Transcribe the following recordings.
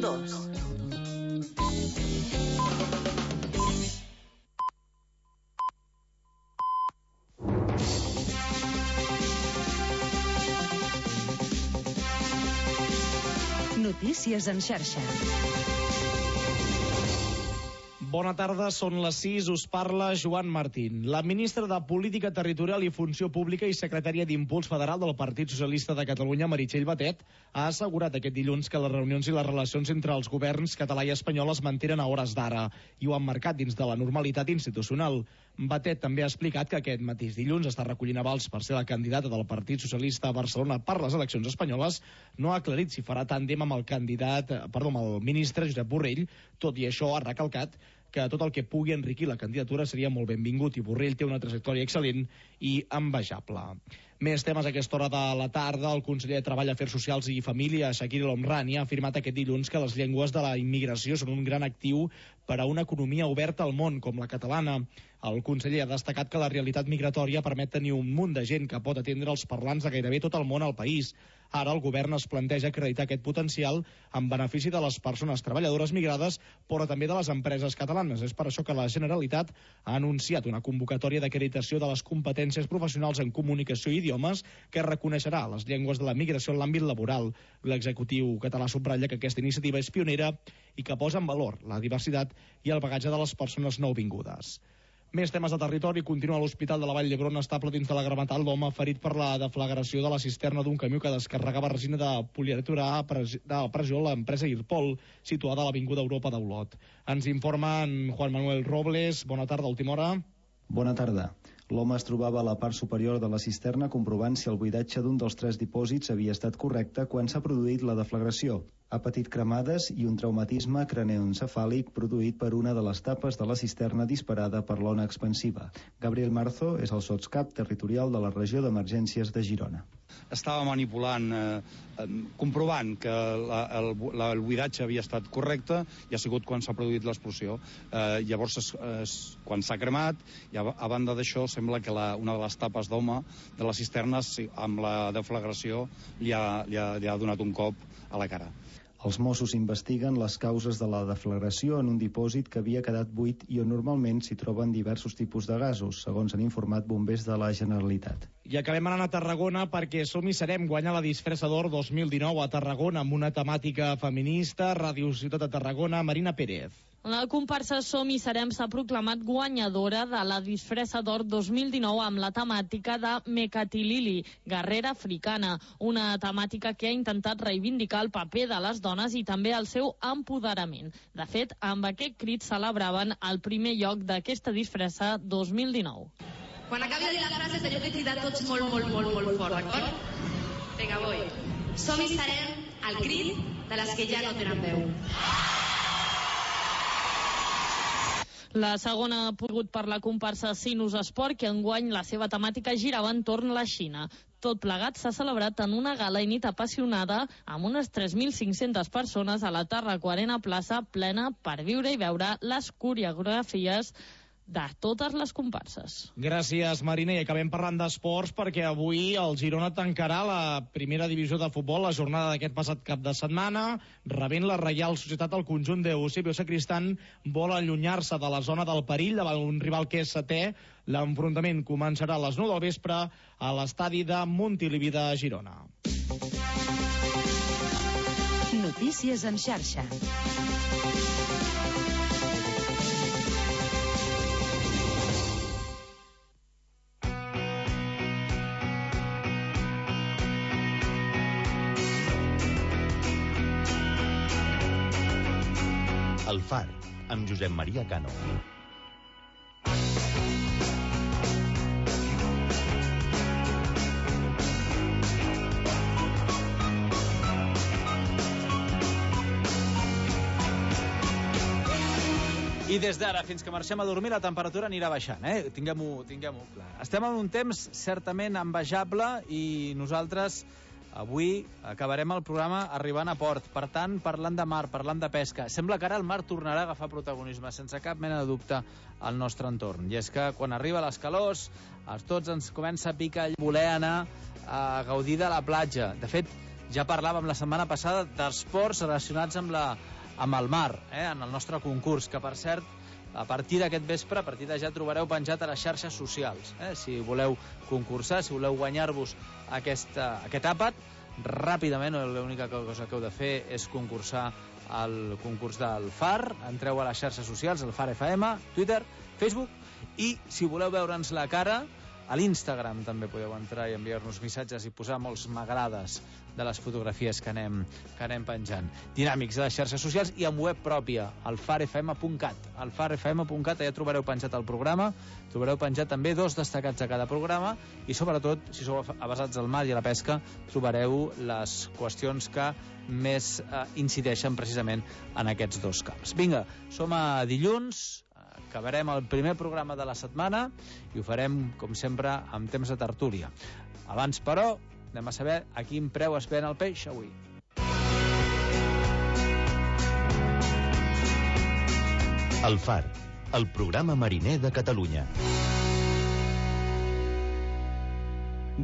102. Notícies en xarxa. Bona tarda, són les 6, us parla Joan Martín. La ministra de Política Territorial i Funció Pública i secretària d'Impuls Federal del Partit Socialista de Catalunya, Meritxell Batet, ha assegurat aquest dilluns que les reunions i les relacions entre els governs català i espanyol es mantenen a hores d'ara i ho han marcat dins de la normalitat institucional. Batet també ha explicat que aquest mateix dilluns està recollint avals per ser la candidata del Partit Socialista a Barcelona per les eleccions espanyoles. No ha aclarit si farà tàndem amb el ministre Josep Borrell. Tot i això, ha recalcat que tot el que pugui enriquir la candidatura seria molt benvingut i Borrell té una trajectòria excel·lent i envejable. Més temes a aquesta hora de la tarda. El conseller de Treball, Afers Socials i Família, Shakir El Homrani, ha afirmat aquest dilluns que les llengües de la immigració són un gran actiu per a una economia oberta al món, com la catalana. El conseller ha destacat que la realitat migratòria permet tenir un munt de gent que pot atendre els parlants de gairebé tot el món al país. Ara el govern es planteja acreditar aquest potencial en benefici de les persones treballadores migrades, però també de les empreses catalanes. És per això que la Generalitat ha anunciat una convocatòria d'acreditació de les competències professionals en comunicació i idiomes que reconeixerà les llengües de la migració en l'àmbit laboral. L'executiu català subratlla que aquesta iniciativa és pionera i que posa en valor la diversitat i el bagatge de les persones nouvingudes. Més temes de territori. Continua a l'Hospital de la Vall d'Hebron estable dins de la gravetat l'home ferit per la deflagració de la cisterna d'un camió que descarregava resina de poliuretà de pressió a l'empresa Irpol, situada a l'Avinguda Europa d'Olot. Ens informa en Juan Manuel Robles. Bona tarda, última hora. Bona tarda. L'home es trobava a la part superior de la cisterna comprovant si el buidatge d'un dels 3 dipòsits havia estat correcte quan s'ha produït la deflagració. Ha patit cremades i un traumatisme craneoencefàlic produït per una de les tapes de la cisterna disparada per l'ona expansiva. Gabriel Marzo és el sotscap territorial de la regió d'emergències de Girona. Estava manipulant, comprovant que el buidatge havia estat correcte i ha sigut quan s'ha produït l'explosió. Llavors, quan s'ha cremat, i a banda d'això, sembla que una de les tapes d'home de les cisternes, amb la deflagració, li ha donat un cop a la cara. Els Mossos investiguen les causes de la deflagració en un dipòsit que havia quedat buit i on normalment s'hi troben diversos tipus de gasos, segons han informat bombers de la Generalitat. I acabem anant a Tarragona perquè Som i Serem guanya la disfressa d'or 2019 a Tarragona amb una temàtica feminista. Ràdio Ciutat de Tarragona, Marina Pérez. La comparsa Som i Serem s'ha proclamat guanyadora de la disfressa d'or 2019 amb la temàtica de Mekatilili, guerrera africana, una temàtica que ha intentat reivindicar el paper de les dones i també el seu empoderament. De fet, amb aquest crit celebraven el primer lloc d'aquesta disfressa 2019. Quan acabi de dir la frase teniu que cridar tots molt fort, d'acord? Vinga, voy. Som i serem al crit de les que ja no tenen veu. La segona ha pogut per la comparsa Sinus Esport, que enguany la seva temàtica girava entorn a la Xina. Tot plegat s'ha celebrat en una gala i nit apassionada amb unes 3.500 persones a la Tarraco-Arena Plaça plena per viure i veure les coreografies de totes les comparses. Gràcies, Marina, i acabem parlant d'esports perquè avui el Girona tancarà la primera divisió de futbol, la jornada d'aquest passat cap de setmana, rebent la Reial Societat. El conjunt d'Eusebio Sacristán vol allunyar-se de la zona del perill davant un rival que és setè. L'enfrontament començarà a les 9 del vespre a l'estadi de Montilivi de Girona. Notícies en xarxa. El Far, amb Josep Maria Cano. I des d'ara fins que marxem a dormir la temperatura anirà baixant, Tinguem-ho clar. Estem en un temps certament envejable i nosaltres avui acabarem el programa arribant a port, per tant parlant de mar, parlant de pesca. Sembla que ara el mar tornarà a agafar protagonisme sense cap mena de dubte al nostre entorn, i és que quan arriba les calors a tots ens comença a picar voler anar a gaudir de la platja. De fet, Ja parlàvem la setmana passada d'esports relacionats amb el mar, en el nostre concurs, que per cert, a partir d'aquest vespre, a partir de ja trobareu penjat a les xarxes socials. Si voleu concursar, si voleu guanyar-vos aquest àpat, ràpidament, l'única cosa que heu de fer és concursar al concurs del FAR. Entreu a les xarxes socials, el FAR FM, Twitter, Facebook, i si voleu veure'ns la cara, a l'Instagram també podeu entrar i enviar-nos missatges i posar molts m'agrades de les fotografies que anem penjant. Dinàmics de les xarxes socials i amb web pròpia, al farfm.cat. Al farfm.cat allà trobareu penjat el programa, trobareu penjat també 2 destacats a cada programa i sobretot, si sou avesats al mar i a la pesca, trobareu les qüestions que més incideixen precisament en aquests 2 camps. Vinga, som a dilluns, acabarem el primer programa de la setmana i ho farem, com sempre, amb temps de tertúlia. Abans, però, anem a saber a quin preu es ven el peix avui. El Far, el programa mariner de Catalunya.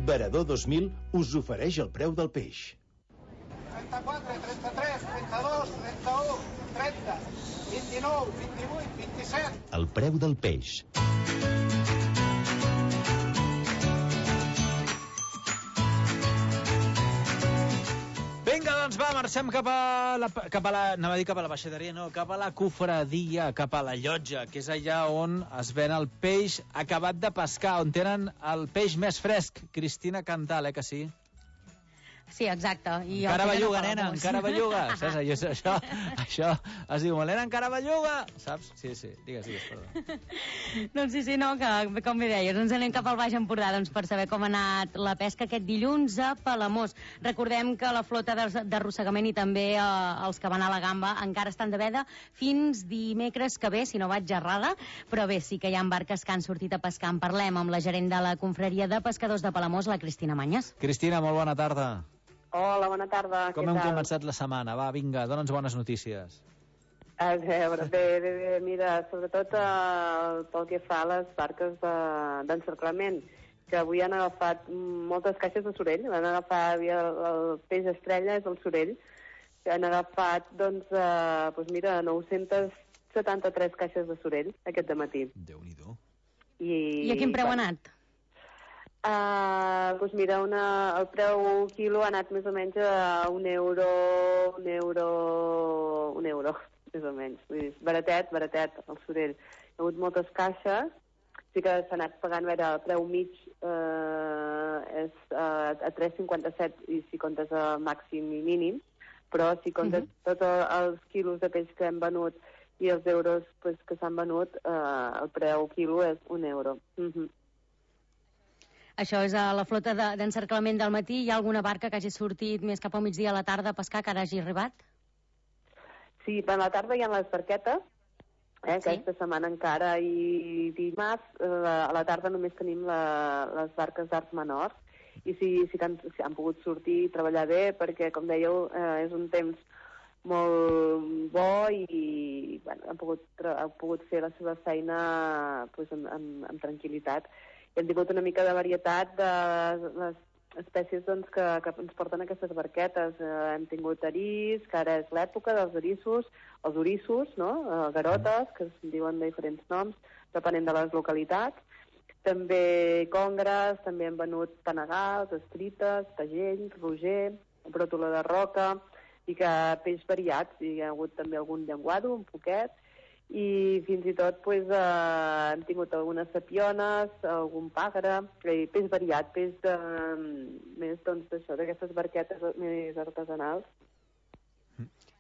Varador 2000 us ofereix el preu del peix. 34, 33, 32, 31, 30, 29, 28, 27. El preu del peix. Vinga, doncs va, marxem cap a la baixaderia, no, cap a la cofradia, cap a la llotja, que és allà on es ven el peix acabat de pescar, on tenen el peix més fresc. Cristina Cantal, que sí? Sí, exacte. I encara belluga, nena, encara belluga. Saps? Això es diu, nena, encara belluga. Saps? Sí, digues, perdó. Doncs sí, no, que com bé deies, ens anem cap al Baix Empordà per saber com ha anat la pesca aquest dilluns a Palamós. Recordem que la flota d'arrossegament i també els que van a la gamba encara estan de veda fins dimecres que ve, si no vaig errada, però bé, sí que hi ha barques que han sortit a pescar. En parlem amb la gerent de la confraria de pescadors de Palamós, la Cristina Manyes. Cristina, molt bona tarda. Hola, bona tarda. Com hem començat la setmana? Va, vinga, dona'ns bones notícies. A veure, bé, mira, sobretot pel que fa a les barques d'encerclament, que avui han agafat moltes caixes de sorell, van agafar el peix estrella, és el sorell, que han agafat, doncs, mira, 973 caixes de sorell aquest dematí. Déu-n'hi-do. I a quin preu ha anat? Doncs mira, el preu quilo ha anat més o menys a un euro, més o menys. Baratet, el sorell. Hi ha hagut moltes caixes, sí que s'ha anat pagant, a veure, el preu mig és a 3,57 i si comptes el màxim i mínim, però si comptes tots els quilos de peix que hem venut i els euros que s'han venut, el preu quilo és un euro. Això és a la flota d'encerclament del matí. Hi ha alguna barca que hagi sortit més cap al migdia a la tarda a pescar que ara hagi arribat? Sí, a la tarda hi ha les barquetes, aquesta setmana encara, i dimarts a la tarda només tenim les barques d'arts menors, i sí que han pogut sortir i treballar bé, perquè, com dèieu, és un temps molt bo i han pogut fer la seva feina amb tranquil·litat. Hem tingut una mica de varietat de les espècies que ens porten aquestes barquetes. Hem tingut eris, que ara és l'època dels erissos, els orissos, no? Garotes, que es diuen de diferents noms, depenent de les localitats. També congres, també hem venut panegals, estrites, tagells, roger, bròtola de roca, i que peix variats. Hi ha hagut també algun llenguado, un poquet, i fins i tot hem tingut algunes sapiones, algun pàgara, peix variat, peix més d'aquestes barquetes més artesanals.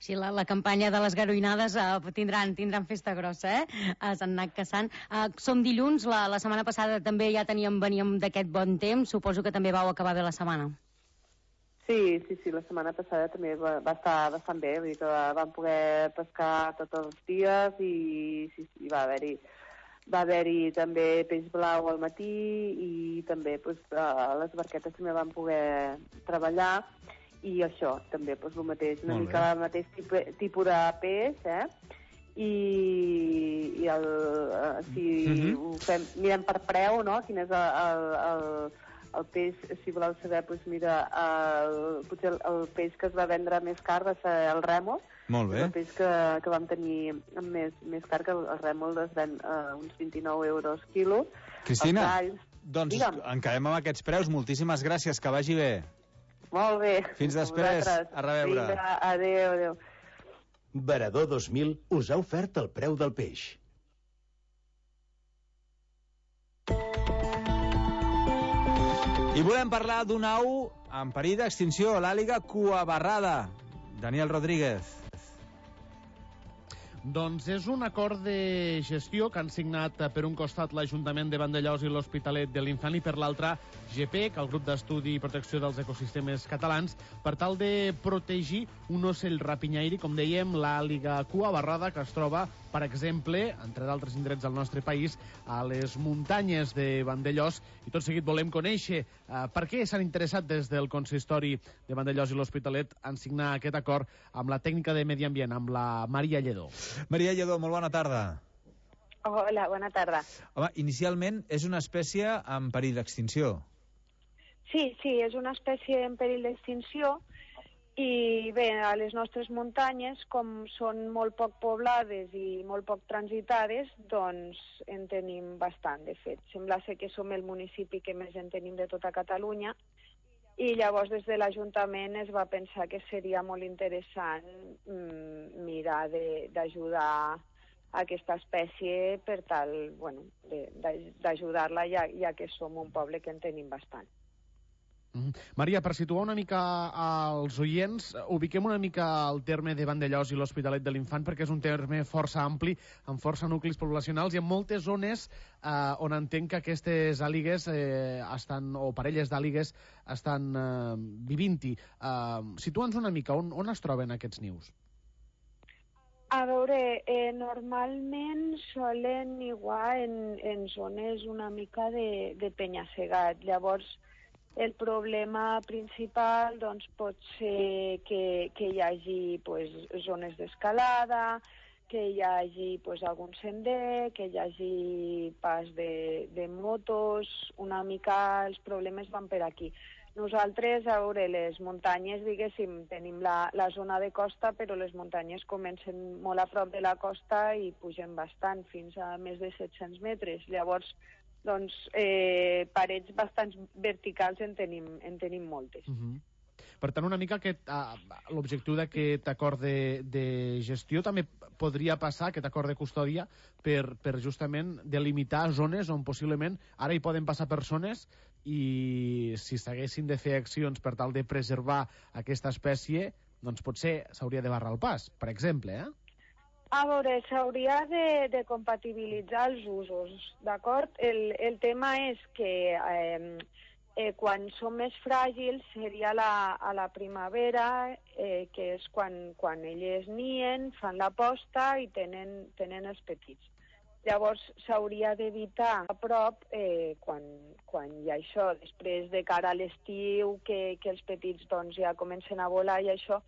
Sí, la campanya de les garoinades tindran festa grossa, s'han anat caçant. Som dilluns, la setmana passada també ja veníem d'aquest bon temps, suposo que també vau acabar bé la setmana. Sí, la setmana passada també va estar bastant bé, vull dir que vam poder pescar tots els dies i va haver-hi també peix blau al matí i també les barquetes també van poder treballar i això també el mateix, una mica el mateix tipus de peix, si ho fem, mirem per preu, no? Quin és el peix, si voleu saber, doncs mira, potser el peix que es va vendre més car va ser el rèmol. Molt bé. El peix que vam tenir més car, que el rèmol es ven uns 29 euros quilo. Cristina, doncs en quedem amb aquests preus. Moltíssimes gràcies, que vagi bé. Molt bé. Fins després. A reveure. Vinga, adéu. Veredor 2000 us ha ofert el preu del peix. I volem parlar d'un au en perill d'extinció, l'àliga cuabarrada. Daniel Rodríguez. Doncs és un acord de gestió que han signat per un costat l'Ajuntament de Vandellòs i l'Hospitalet de l'Infant i per l'altre GPEC, el grup d'estudi i protecció dels ecosistemes catalans, per tal de protegir un ocell rapinyaire, com dèiem, l'àliga cuabarrada, que es troba, per exemple, entre d'altres indrets del nostre país, a les muntanyes de Vandellòs. I tot seguit volem conèixer per què s'han interessat des del consistori de Vandellòs i l'Hospitalet en signar aquest acord amb la tècnica de Medi Ambient, amb la Maria Lledó. Maria Lledó, molt bona tarda. Hola, bona tarda. Home, inicialment és una espècie en perill d'extinció. Sí, és una espècie en perill d'extinció i bé, a les nostres muntanyes, com són molt poc poblades i molt poc transitades, doncs en tenim bastant, de fet. Sembla ser que som el municipi que més en tenim de tota Catalunya i llavors des de l'Ajuntament es va pensar que seria molt interessant mirar d'ajudar a aquesta espècie per tal, d'ajudar-la ja que som un poble que en tenim bastant. Maria, per situar una mica als oients, ubiquem una mica el terme de Vandellòs i l'Hospitalet de l'Infant, perquè és un terme força ampli, amb força nuclis poblacionals i en moltes zones on entenc que aquestes àligues o parelles d'àligues estan vivint-hi. Situa'ns una mica, on es troben aquests nius? A veure, normalment solen niguar en zones una mica de penya-segat. Llavors, el problema principal doncs, pot ser que hi hagi zones d'escalada, que hi hagi algun sender, que hi hagi pas de motos, una mica els problemes van per aquí. Nosaltres, a veure, les muntanyes, diguéssim, tenim la zona de costa, però les muntanyes comencen molt a prop de la costa i pugen bastant, fins a més de 700 metres. Llavors, doncs, parets bastant verticals en tenim moltes. Per tant, una mica l'objectiu d'aquest acord de gestió també podria passar, aquest acord de custòdia, per justament delimitar zones on possiblement ara hi poden passar persones i si s'haguessin de fer accions per tal de preservar aquesta espècie, doncs potser s'hauria de barrar el pas, per exemple, A veure, s'hauria de compatibilitzar els usos, d'acord? El tema és que quan són més fràgils seria a la primavera, que és quan elles nien, fan la posta i tenen els petits. Llavors s'hauria d'evitar a prop quan hi ha això, després de cara a l'estiu, que els petits doncs, ja comencen a volar i això,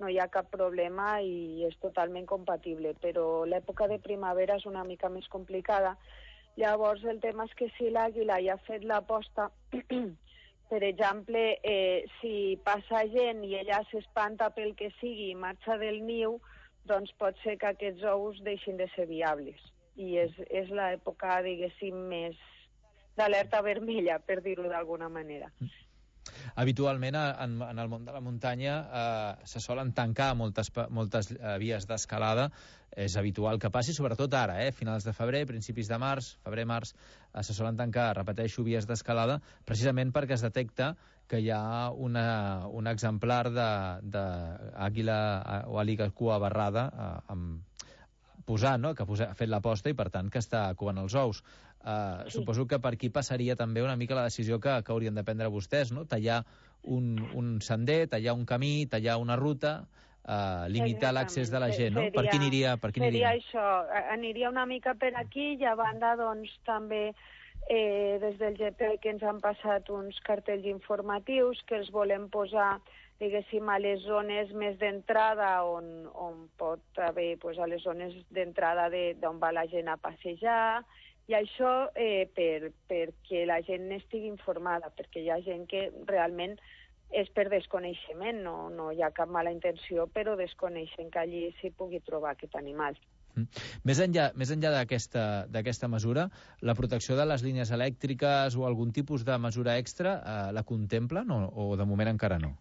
no hi ha cap problema i és totalment compatible, però l'època de primavera és una mica més complicada. Llavors el tema és que si l'àguila ja ha fet la posta, per exemple, si passa gent i ella s'espanta pel que sigui i marxa del niu, doncs pot ser que aquests ous deixin de ser viables. I és l'època, diguéssim, més d'alerta vermella, per dir-ho d'alguna manera. Habitualment, en el món de la muntanya se solen tancar moltes vies d'escalada. És habitual que passi, sobretot ara, finals de febrer, principis de març, febrer-març, se solen tancar, repeteixo, vies d'escalada, precisament perquè es detecta que hi ha un exemplar d'àguila o àliga cuabarrada posant, no?, que ha fet la posta i, per tant, que està covant els ous. Suposo que per aquí passaria també una mica la decisió que haurien de prendre vostès, no? Tallar un sender, tallar un camí, tallar una ruta, limitar l'accés de la gent, no? Per qui aniria? Seria això, aniria una mica per aquí i a banda, doncs, també des del GP que ens han passat uns cartells informatius que els volem posar, diguéssim, a les zones més d'entrada on pot haver, a les zones d'entrada d'on va la gent a passejar I això perquè la gent n'estigui informada, perquè hi ha gent que realment és per desconeixement, no hi ha cap mala intenció, però desconeixen que allí s'hi pugui trobar aquest animal. Més enllà d'aquesta mesura, la protecció de les línies elèctriques o algun tipus de mesura extra la contemplen o de moment encara no?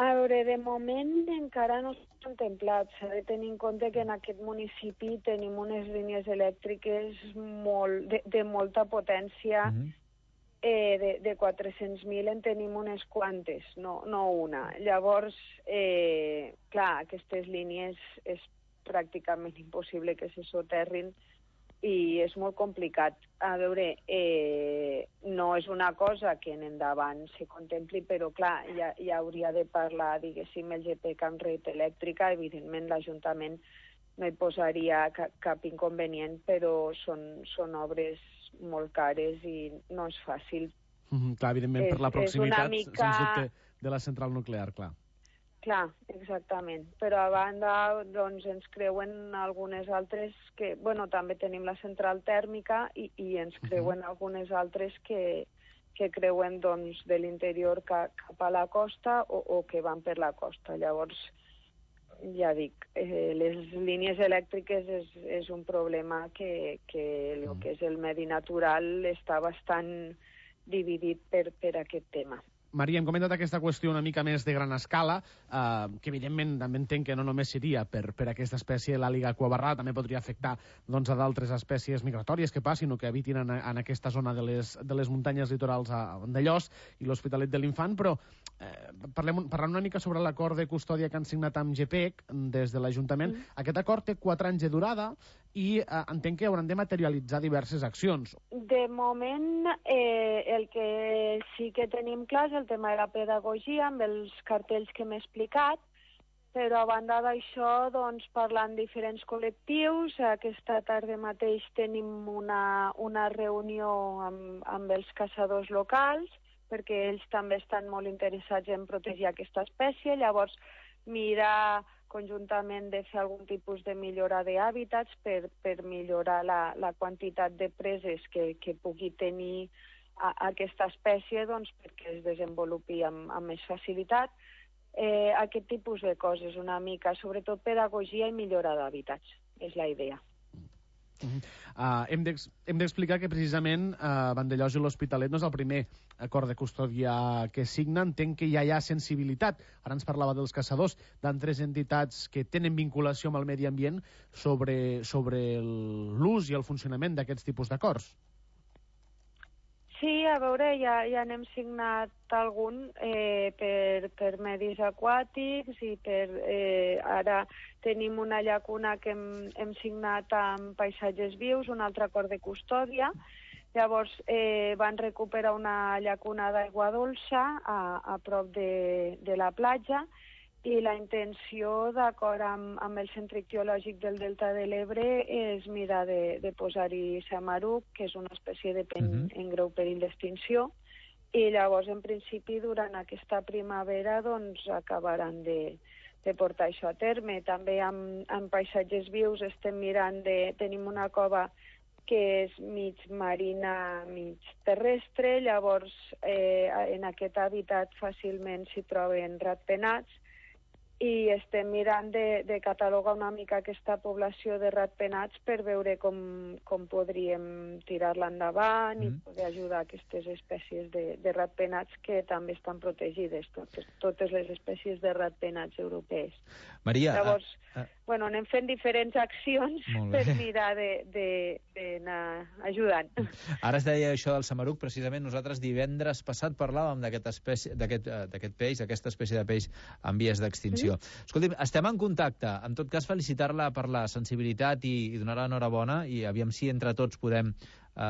A veure, de moment encara no s'ha contemplat. S'ha de tenir en compte que en aquest municipi tenim unes línies elèctriques de molta potència, de 400.000 en tenim unes quantes, no una. Llavors, clar, aquestes línies és pràcticament impossible que se soterrin i és molt complicat. A veure, no és una cosa que en endavant se contempli, però clar, ja hauria de parlar, diguéssim, el GPEC amb red elèctrica. Evidentment l'Ajuntament no hi posaria cap inconvenient, però són obres molt cares i no és fàcil. Clar, evidentment, per la proximitat, sens dubte, de la central nuclear, clar. Clar, exactament. Però a banda, doncs, ens creuen algunes altres que... Bueno, també tenim la central tèrmica i ens creuen algunes altres que creuen, doncs, de l'interior cap a la costa o que van per la costa. Llavors, ja dic, les línies elèctriques és un problema que el que és el medi natural està bastant dividit per aquest tema. Maria, hem comentat aquesta qüestió una mica més de gran escala, que evidentment també entenc que no només seria per aquesta espècie, l'àliga cuabarrada, també podria afectar doncs, a d'altres espècies migratòries que passin o que habitin en aquesta zona de les muntanyes litorals a Vandellòs i l'Hospitalet de l'Infant, però parlant una mica sobre l'acord de custòdia que han signat amb GPEC des de l'Ajuntament. Aquest acord té 4 anys de durada i entenc que hauran de materialitzar diverses accions. De moment, el que sí que tenim clar és el tema de la pedagogia, amb els cartells que m'he explicat, però a banda d'això, doncs, parlant amb diferents col·lectius, aquesta tarda mateix tenim una reunió amb els caçadors locals, perquè ells també estan molt interessats en protegir aquesta espècie, llavors mirar conjuntament de fer algun tipus de millora d'hàbitats per millorar la quantitat de preses que pugui tenir aquesta espècie, doncs, perquè es desenvolupi amb més facilitat. Aquest tipus de coses, una mica, sobretot pedagogia i millora d'hàbitats, és la idea. Hem d'explicar que precisament Vandellòs i l'Hospitalet no és el primer acord de custòdia que signa. Entenc que ja hi ha sensibilitat, ara ens parlava dels caçadors, d'altres entitats que tenen vinculació amb el medi ambient sobre l'ús i el funcionament d'aquests tipus d'acords. Sí, a veure, ja n'hem signat algun per medis aquàtics i ara tenim una llacuna que hem signat amb Paisatges Vius, un altre acord de custòdia. Llavors van recuperar una llacuna d'aigua dolça a prop de la platja i la intenció, d'acord amb el Centre Ictiològic del Delta de l'Ebre, és mirar de posar-hi samaruc, que és una espècie de pen en greu perill d'extinció, i llavors, en principi, durant aquesta primavera, doncs, acabaran de portar això a terme. També amb Paisatges Vius estem mirant tenim una cova que és mig marina, mig terrestre, llavors en aquest hàbitat fàcilment s'hi troben ratpenats, i estem mirant de catalogar una mica aquesta població de ratpenats per veure com podríem tirar-la endavant i poder ajudar aquestes espècies de ratpenats que també estan protegides, totes les espècies de ratpenats europees. Maria... Llavors, anem fent diferents accions per mirar d'anar ajudant. Ara es deia això del samaruc, precisament nosaltres divendres passat parlàvem d'aquest peix, d'aquesta espècie de peix en vies d'extinció. Escolti'm, estem en contacte. En tot cas, felicitar-la per la sensibilitat i donar-la enhorabona i aviam si entre tots podem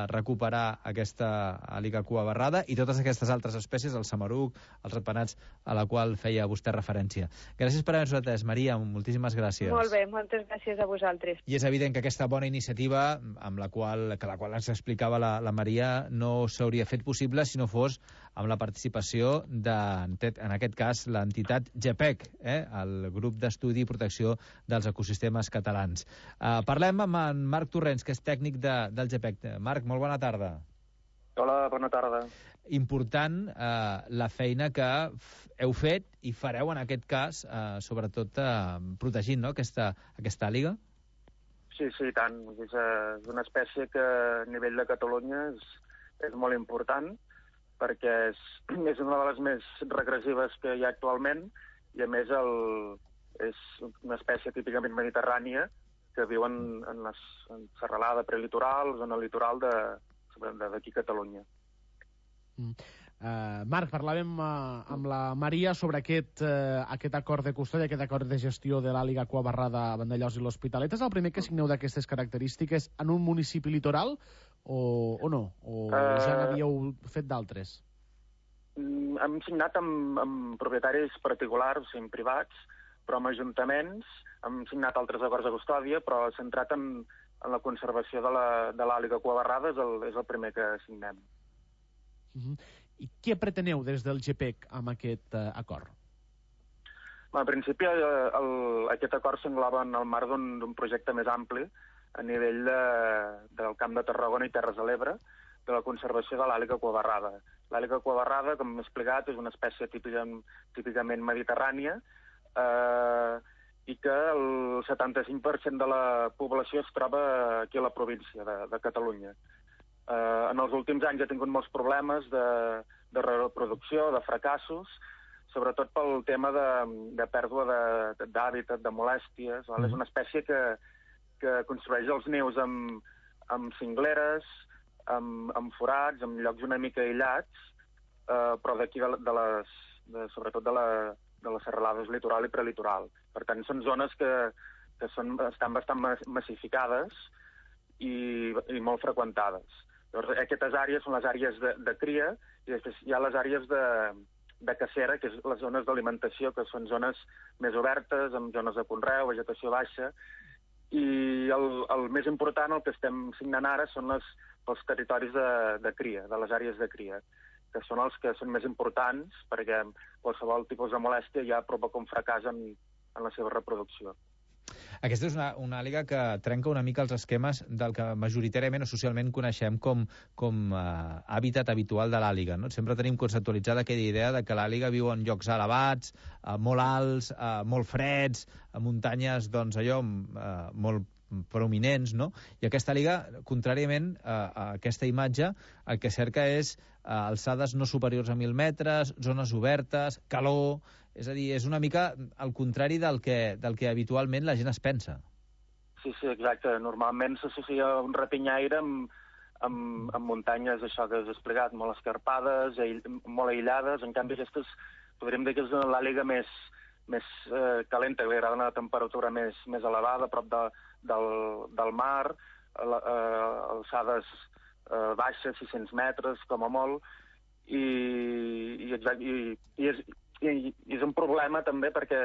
recuperar aquesta àliga cuabarrada i totes aquestes altres espècies, el samaruc, els ratpenats, a la qual feia vostè referència. Gràcies per haver-nos atès, Maria, moltíssimes gràcies. Molt bé, moltes gràcies a vosaltres. I és evident que aquesta bona iniciativa, amb la qual ens explicava la Maria, no s'hauria fet possible si no fos amb la participació en aquest cas, l'entitat GEPEC, el grup d'estudi i protecció dels ecosistemes catalans. Parlem amb en Marc Torrents, que és tècnic del GEPEC. Marc, molt bona tarda. Hola, bona tarda. Important la feina que heu fet i fareu en aquest cas, sobretot protegint, no?, aquesta àliga. Sí, tant. És una espècie que a nivell de Catalunya és molt important perquè és una de les més regressives que hi ha actualment i, a més, és una espècie típicament mediterrània que viu en serralada prelitoral, zona litoral d'aquí a Catalunya. Marc, parlàvem amb la Maria sobre aquest acord de custòdia, aquest acord de gestió de l'àliga aquabarrada a Vandellòs i l'Hospitalet. És el primer que signeu d'aquestes característiques en un municipi litoral o no? O ja n'havíeu fet d'altres? Hem signat amb propietaris particulars, o sigui, privats, però amb ajuntaments. Hem signat altres acords de custòdia, però centrat en la conservació de l'àliga aquabarrada és el primer que signem. I què preteneu des del GEPEC amb aquest acord? En principi, aquest acord s'engloba en el marc d'un projecte més ampli a nivell del Camp de Tarragona i Terres de l'Ebre, de la conservació de l'àliga aquabarrada. L'àliga aquabarrada, com hem explicat, és una espècie típicament mediterrània i que el 75% de la població es troba aquí a la província de Catalunya. En els últims anys ha tingut molts problemes de reproducció, de fracassos, sobretot pel tema de pèrdua d'hàbitat, de molèsties. És una espècie que construeix els nius amb cingleres, amb forats, en llocs una mica aïllats, però d'aquí, sobretot de les serralades litoral i prelitoral. Per tant, són zones que estan bastant massificades i molt freqüentades. Llavors, aquestes àrees són les àrees de cria i després hi ha les àrees de cacera, que és les zones d'alimentació, que són zones més obertes, amb zones de conreu, vegetació baixa, i el més important, el que estem signant ara, són els territoris de cria, de les àrees de cria, que són els que són més importants perquè qualsevol tipus de molèstia ja provoca un fracàs en la seva reproducció. Aquesta és una àliga que trenca una mica els esquemes del que majoritàriament o socialment coneixem com hàbitat habitual de l'àliga, no? Sempre tenim conceptualitzada aquella idea de que l'àliga viu en llocs elevats, molt alts, molt freds, a muntanyes, doncs allò, molt prominents, no? I aquesta àliga, contràriament a aquesta imatge, el que cerca és alçades no superiors a 1.000 metres, zones obertes, calor. És a dir, és una mica al contrari del que habitualment la gent es pensa. Sí, exacte. Normalment s'associa un rapinyaire amb muntanyes, això que has explicat, molt escarpades, molt aïllades. En canvi, aquestes podríem dir que és l'àliga més calenta, que li agrada una temperatura més elevada, a prop del mar, alçades baixes, 600 metres, com a molt, i és un problema també perquè,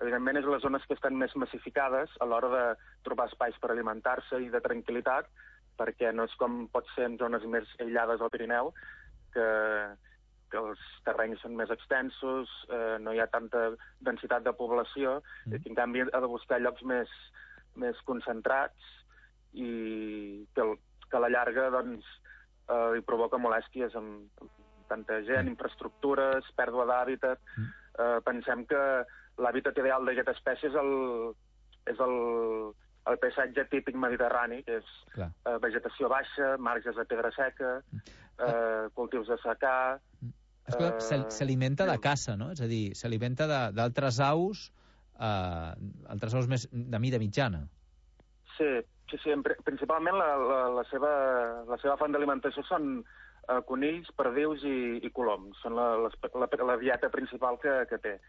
evidentment, és les zones que estan més massificades a l'hora de trobar espais per alimentar-se i de tranquil·litat, perquè no és com pot ser en zones més aïllades al Pirineu, que els terrenys són més extensos, no hi ha tanta densitat de població, i en canvi ha de buscar llocs més concentrats i que a la llarga doncs, hi provoca molèsties amb tanta gent, infraestructures, pèrdua d'hàbitat. Pensem que l'hàbitat ideal d'aquesta espècie és el paisatge típic mediterrani, que és vegetació baixa, marges de pedra seca, cultius de secà. S'alimenta de caça, no? És a dir, s'alimenta d'altres aus, més de mida mitjana. Sí, principalment la seva font d'alimentació són conills, perdius i coloms. Són la dieta principal que té.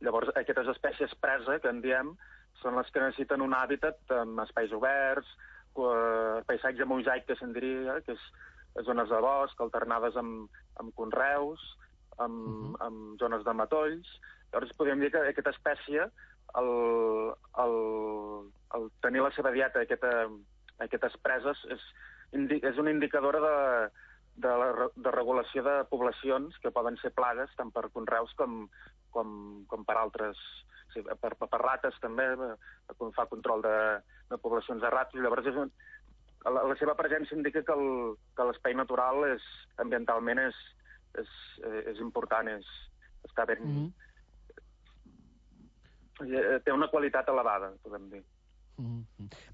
Llavors, aquestes espècies presa, que en diem, són les que necessiten un hàbitat amb espais oberts, paisatge mosaic, que se'n diria, que és zones de bosc, alternades amb conreus, amb zones de matolls. Llavors, podríem dir que aquesta espècie, el tenir la seva dieta, aquestes preses, és una indicadora de regulació de poblacions que poden ser plagues tant per conreus com per altres, per rates també, fa control de poblacions de rates. Llavors la seva presència indica que l'espai natural ambientalment és important, està ben... Té una qualitat elevada, podem dir.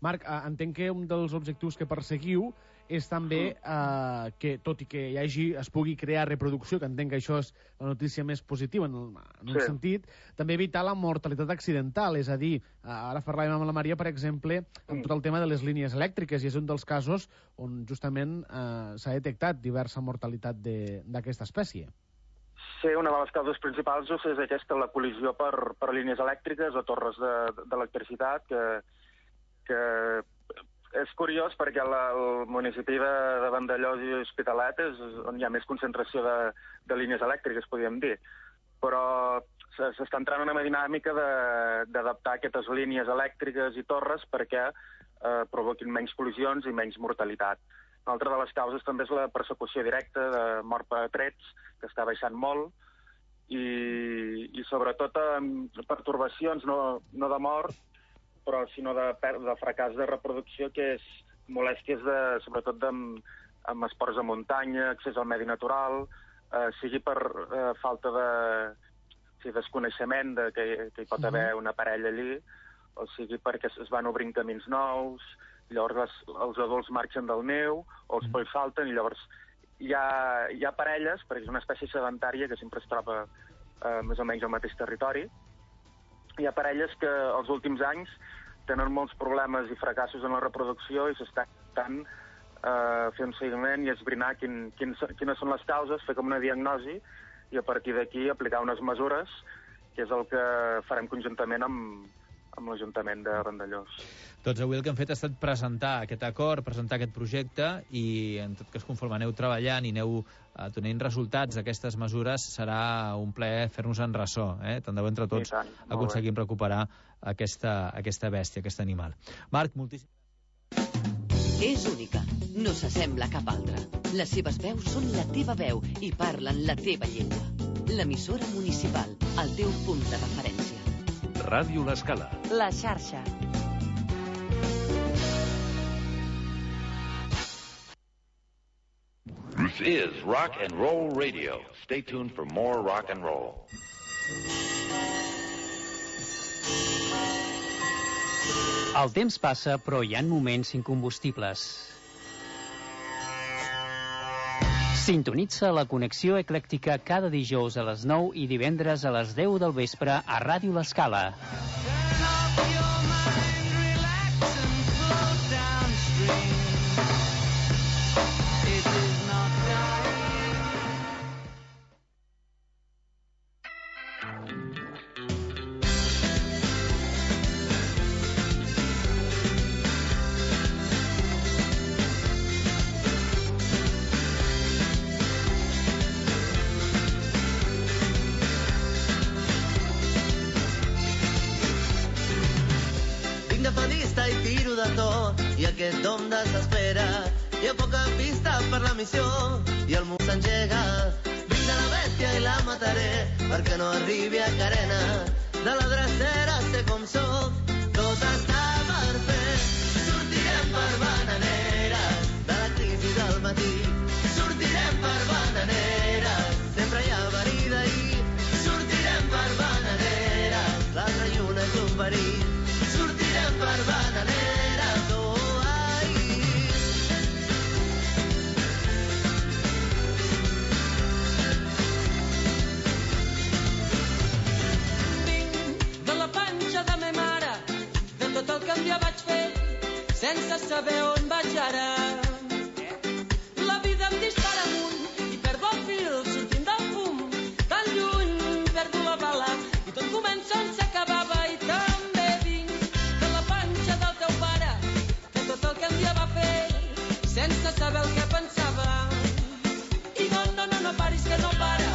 Marc, entenc que un dels objectius que perseguiu és també que, tot i que es pugui crear reproducció, que entenc que això és la notícia més positiva en un sentit, també evitar la mortalitat accidental, és a dir, ara parlàvem amb la Maria, per exemple, amb tot el tema de les línies elèctriques, i és un dels casos on justament s'ha detectat diversa mortalitat d'aquesta espècie. Sí, una de les causes principals és aquesta, la col·lisió per línies elèctriques o torres d'electricitat, que és curiós perquè el municipi de Vandellòs i Hospitalet és on hi ha més concentració de línies elèctriques, podríem dir. Però s'està entrant en una dinàmica d'adaptar aquestes línies elèctriques i torres perquè provoquin menys col·lisions i menys mortalitat. Una altra de les causes també és la persecució directa de mort per trets, que està baixant molt, i sobretot pertorbacions, no de mort, però sinó de fracàs de reproducció, que és molèsties sobretot amb esports de muntanya, accés al medi natural, sigui per falta de desconeixement que hi pot haver una parella allí, o sigui perquè es van obrint camins nous, llavors els adults marxen del niu, o els polls salten, i llavors hi ha parelles, perquè és una espècie sedentària que sempre es troba més o menys al mateix territori. Hi ha parelles que els últims anys tenen molts problemes i fracassos en la reproducció i s'està intentant fer un seguiment i esbrinar quines són les causes, fer com una diagnosi i a partir d'aquí aplicar unes mesures, que és el que farem conjuntament amb l'Ajuntament de Vandellòs. Doncs avui el que hem fet ha estat presentar aquest acord, presentar aquest projecte, i en tot cas conforme aneu treballant i aneu donant resultats d'aquestes mesures, serà un plaer fer-nos en ressò. Tant de bo entre tots aconseguim recuperar aquesta bèstia, aquest animal. Marc, moltíssimes gràcies. És única, no s'assembla a cap altra. Les seves veus són la teva veu i parlen la teva llengua. L'emissora municipal, el teu punt de referència. Ràdio L'Escala. La xarxa. This is Rock and Roll Radio. Stay tuned for more rock and roll. El temps passa, però hi ha moments incombustibles. Sintonitza la connexió eclèctica cada dijous a les 9 i divendres a les 10 del vespre a Ràdio L'Escala. I aquest dom desespera, hi ha poca pista per la missió i el món s'engega. Vinc de la bèstia i la mataré perquè no arribi a carena. De la drecera sé com soc, tot està per fer. Sortirem per bananeres de la crisi del matí. Sortirem per bananeres, sempre hi ha verí d'ahir. Sortirem per bananeres, l'altra lluna és un verí. Sortirem per bananeres. Sense saber on vaig ara. La vida em dispara amunt i perdo el fil sortint del fum. Tan lluny perdo la bala i tot comença on s'acabava. I també vinc de la panxa del teu pare, de tot el que un dia va fer sense saber el que pensava. I no paris que no para.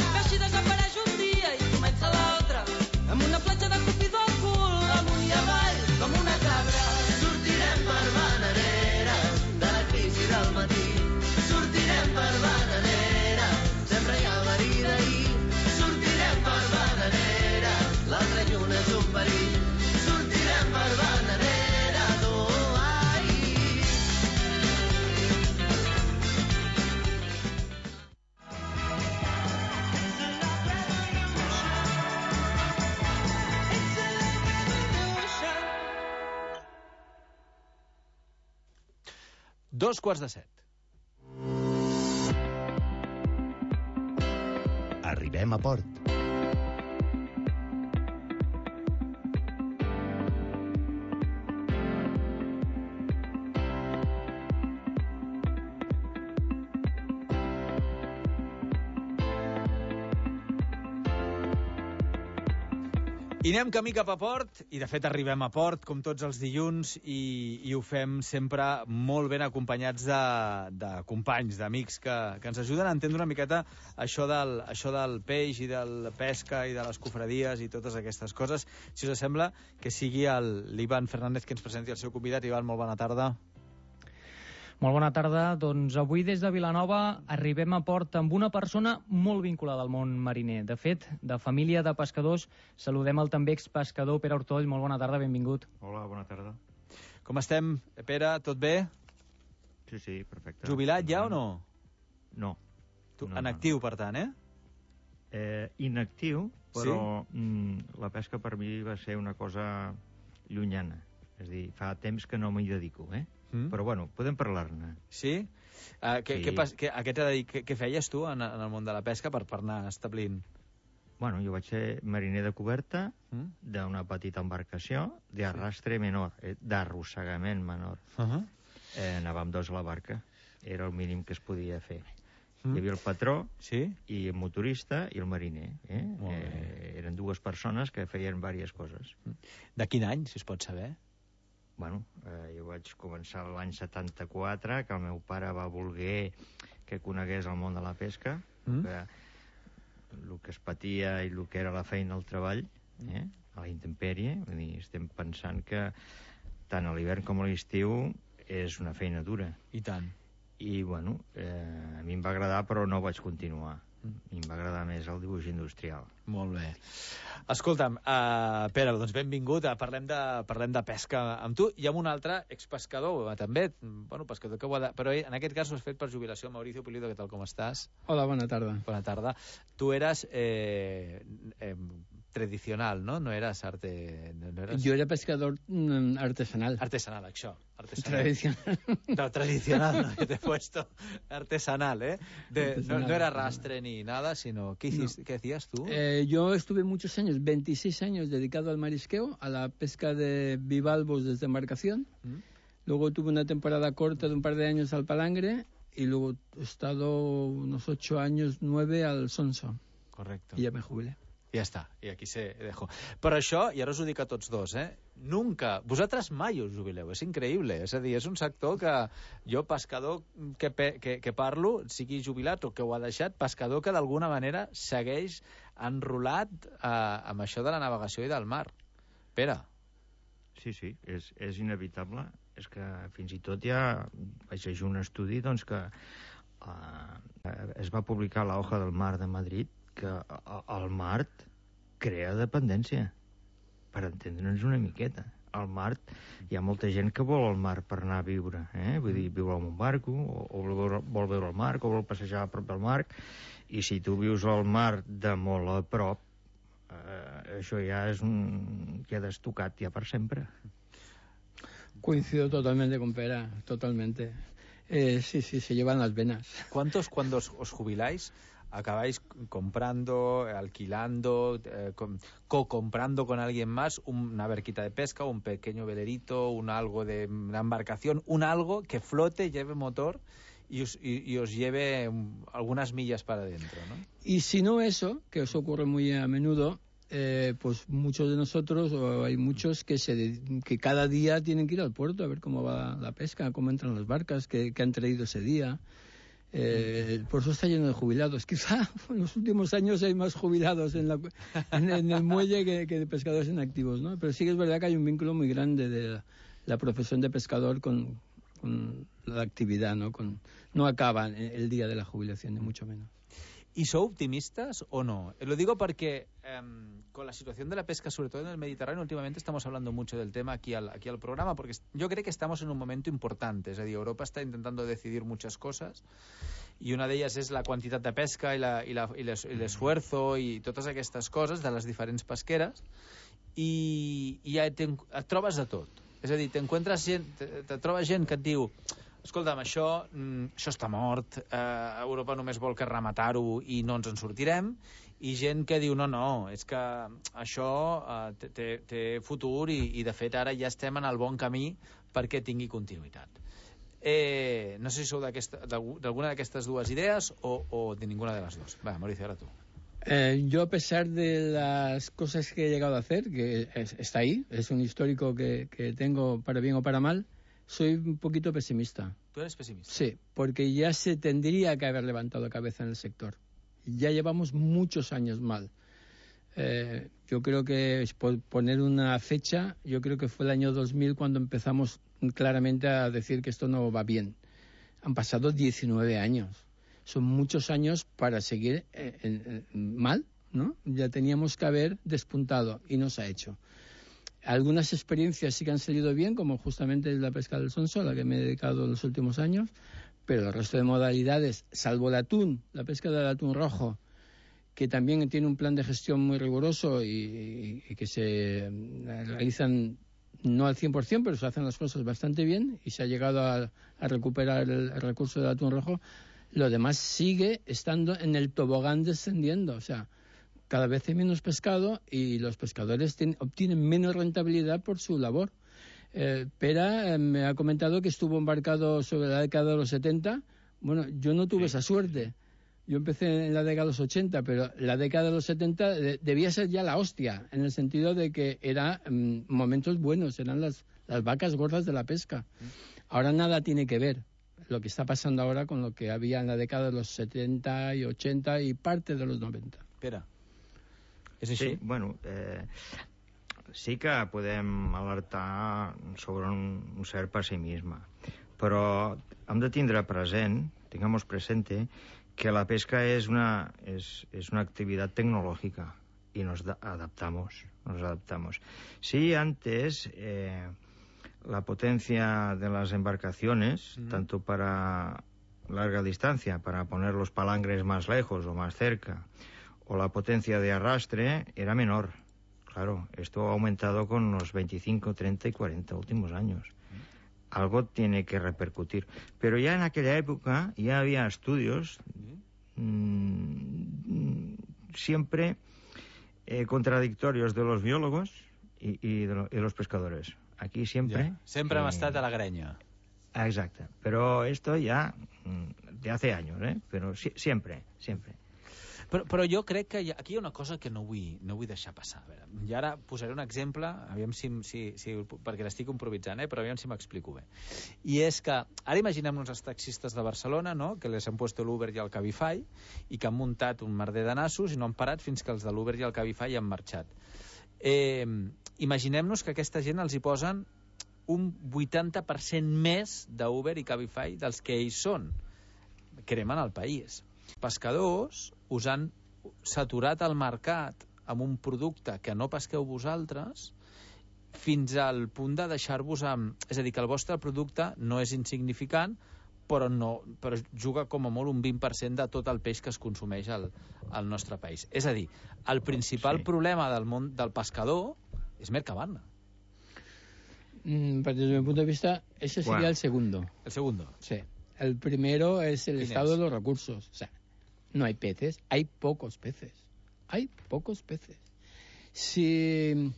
Que així desapareix un dia i comença l'altre, amb una platja de Cupido al cul, amunt i avall com una cabra. Sortirem per bananeres de la crisi del matí. Sortirem 2:45. Arribem a port. I anem camí cap a port, i de fet arribem a port, com tots els dilluns, i ho fem sempre molt ben acompanyats de companys, d'amics que ens ajuden a entendre una miqueta això del peix i de la pesca i de les cofradies i totes aquestes coses. Si us sembla, que sigui l'Ivan Fernández que ens presenti el seu convidat. Ivan, molt bona tarda. Molt bona tarda. Doncs avui des de Vilanova arribem a port amb una persona molt vinculada al món mariner. De fet, de família de pescadors, saludem el també expescador Pere Ortoll. Molt bona tarda, benvingut. Hola, bona tarda. Com estem, Pere? Tot bé? Sí, perfecte. Jubilat ja o no? No. En actiu, per tant, Inactiu, però la pesca per mi va ser una cosa llunyana. És a dir, fa temps que no m'hi dedico, Però, bueno, podem parlar-ne. Sí? Què feies tu en el món de la pesca per anar establint? Bueno, jo vaig ser mariner de coberta d'una petita embarcació d'arrastre menor, d'arrossegament menor. Anàvem dos a la barca. Era el mínim que es podia fer. Hi havia el patró, i el motorista i el mariner. Eren dues persones que feien diverses coses. De quin any, si es pot saber? Bueno, jo vaig començar l'any 74, que el meu pare va voler que conegués el món de la pesca, el que es patia i el que era la feina al treball, a la intempèrie. Vull dir, estem pensant que tant a l'hivern com a l'estiu és una feina dura. I tant. I, bueno, a mi em va agradar, però no vaig continuar. A mi em va agradar més el dibuix industrial. Molt bé. Escolta'm, Pere, doncs benvingut. Parlem de pesca amb tu i amb un altre expescador, també, pescador que ho ha de... Però en aquest cas ho has fet per jubilació. Mauricio Pulido, què tal, com estàs? Hola, bona tarda. Bona tarda. Tu eres tradicional, ¿no? No eras arte... No eras... Yo era pescador artesanal. Artesanal, això. Tradicional. No, tradicional, no, que te he puesto artesanal, ¿eh? No era rastre ni nada, sino... ¿Qué hacías tú? Yo estuve muchos años, 26 años, dedicado al marisqueo, a la pesca de bivalvos desde embarcación. Luego tuve una temporada corta de un par de años al palangre y luego he estado unos 8 años, 9 al sonso. Correcto. Y ya me jubilé. Ja està, i aquí se dejo. Però això, i ara us ho dic a tots dos, nunca, vosaltres mai us jubileu, és increïble, és a dir, és un sector que jo, pescador que parlo, sigui jubilat o que ho ha deixat, pescador que d'alguna manera segueix enrolat amb això de la navegació i del mar. Pere. Sí, és inevitable. És que fins i tot ja vaig llegir un estudi doncs, que es va publicar a la Hoja del Mar de Madrid que el mar crea dependència, per entendre'ns una miqueta. Al mar hi ha molta gent que vol el mar per anar a viure, vull dir, viure en un barco, o vol veure el mar, o vol passejar a prop del mar, i si tu vius al mar de molt a prop, això ja és queda estocat ja per sempre. Coincido totalmente con Pera, totalmente. Sí, se llevan las venas. Cuando os jubiláis, acabáis comprando, alquilando, co-comprando con alguien más una barquita de pesca, un pequeño velerito, algo de una embarcación, algo que flote, lleve motor y os lleve algunas millas para adentro, ¿no? Y si no eso, que os ocurre muy a menudo, pues muchos de nosotros, o hay muchos que cada día tienen que ir al puerto a ver cómo va la pesca, cómo entran las barcas, qué han traído ese día. Por eso está lleno de jubilados. Quizá en los últimos años hay más jubilados en el muelle que de pescadores en activos, ¿no? Pero sí que es verdad que hay un vínculo muy grande de la profesión de pescador con la actividad, ¿no? No acaba el día de la jubilación, ni mucho menos. ¿Y son optimistas o no? Lo digo porque con la situación de la pesca, sobre todo en el Mediterráneo, últimamente estamos hablando mucho del tema aquí al programa, porque yo creo que estamos en un momento importante. Es decir, Europa está intentando decidir muchas cosas y una de ellas es la cantidad de pesca y el esfuerzo y totes aquestes coses de les diferents pesqueres i ja et trobes de tot. És a dir, te trobes gent que et diu escolta'm, això està mort, Europa només vol que rematar-ho i no ens en sortirem, i gent que diu, no, és que això té futur i de fet ara ja estem en el bon camí perquè tingui continuïtat. No sé si sou d'alguna d'aquestes dues idees o de ninguna de las dos. Va, Mauricio, ahora tú. Yo, a pesar de las cosas que he llegado a hacer, que está ahí, es un histórico que tengo para bien o para mal, soy un poquito pesimista. ¿Tú eres pesimista? Sí, porque ya se tendría que haber levantado cabeza en el sector. Ya llevamos muchos años mal. Yo creo que, por poner una fecha, yo creo que fue el año 2000 cuando empezamos claramente a decir que esto no va bien. Han pasado 19 años. Son muchos años para seguir mal, ¿no? Ya teníamos que haber despuntado y no se ha hecho. Algunas experiencias sí que han salido bien, como justamente la pesca del sonso, a la que me he dedicado en los últimos años, pero el resto de modalidades, salvo el atún, la pesca del atún rojo, que también tiene un plan de gestión muy riguroso y que se realizan no al 100%, pero se hacen las cosas bastante bien y se ha llegado a recuperar el recurso del atún rojo. Lo demás sigue estando en el tobogán descendiendo, o sea, cada vez hay menos pescado y los pescadores obtienen menos rentabilidad por su labor. Pera me ha comentado que estuvo embarcado sobre la década de los 70. Bueno, yo no tuve esa suerte. Yo empecé en la década de los 80, pero la década de los 70 debía ser ya la hostia, en el sentido de que eran momentos buenos, eran las vacas gordas de la pesca. Ahora nada tiene que ver lo que está pasando ahora con lo que había en la década de los 70 y 80 y parte de los 90. Espera. És així? Sí, bueno, sí que podem alertar sobre un cert pessimisme, però hem de tindre present, tengamos presente, que la pesca es una actividad tecnológica y nos adaptamos. Sí, antes la potencia de las embarcaciones, tanto para larga distancia, para poner los palangres más lejos o más cerca, o la potencia de arrastre era menor. Claro, esto ha aumentado con los 25, 30 y 40 últimos años. Algo tiene que repercutir. Pero ya en aquella época ya había estudios siempre contradictorios de los biólogos y los pescadores. Aquí siempre... Ja. Sempre hem estat a la grenya. Exacte. Però esto ya de hace años, Però siempre. Però jo crec que aquí hi ha una cosa que no vull deixar passar. A veure, i ara posaré un exemple, aviam si perquè l'estic improvisant, però aviam si m'explico bé. I és que, ara imaginem-nos els taxistes de Barcelona, no?, que les han puesto l'Uber i el Cabify, i que han muntat un merder de nassos i no han parat fins que els de l'Uber i el Cabify han marxat. Imaginem-nos que aquesta gent els hi posen un 80% més d'Uber i Cabify dels que ells són. Cremen el país. Pescadors us han saturat el mercat amb un producte que no pesqueu vosaltres fins al punt de deixar-vos amb... És a dir, que el vostre producte no és insignificant, però juga com a molt un 20% de tot el peix que es consumeix al nostre país. És a dir, el principal problema del món del pescador és Mercabarna. Desde mi punto de vista, ese sería el segundo. ¿El segundo? Sí. El primero es el estado de los recursos. O sea, no hay peces, hay pocos peces. Si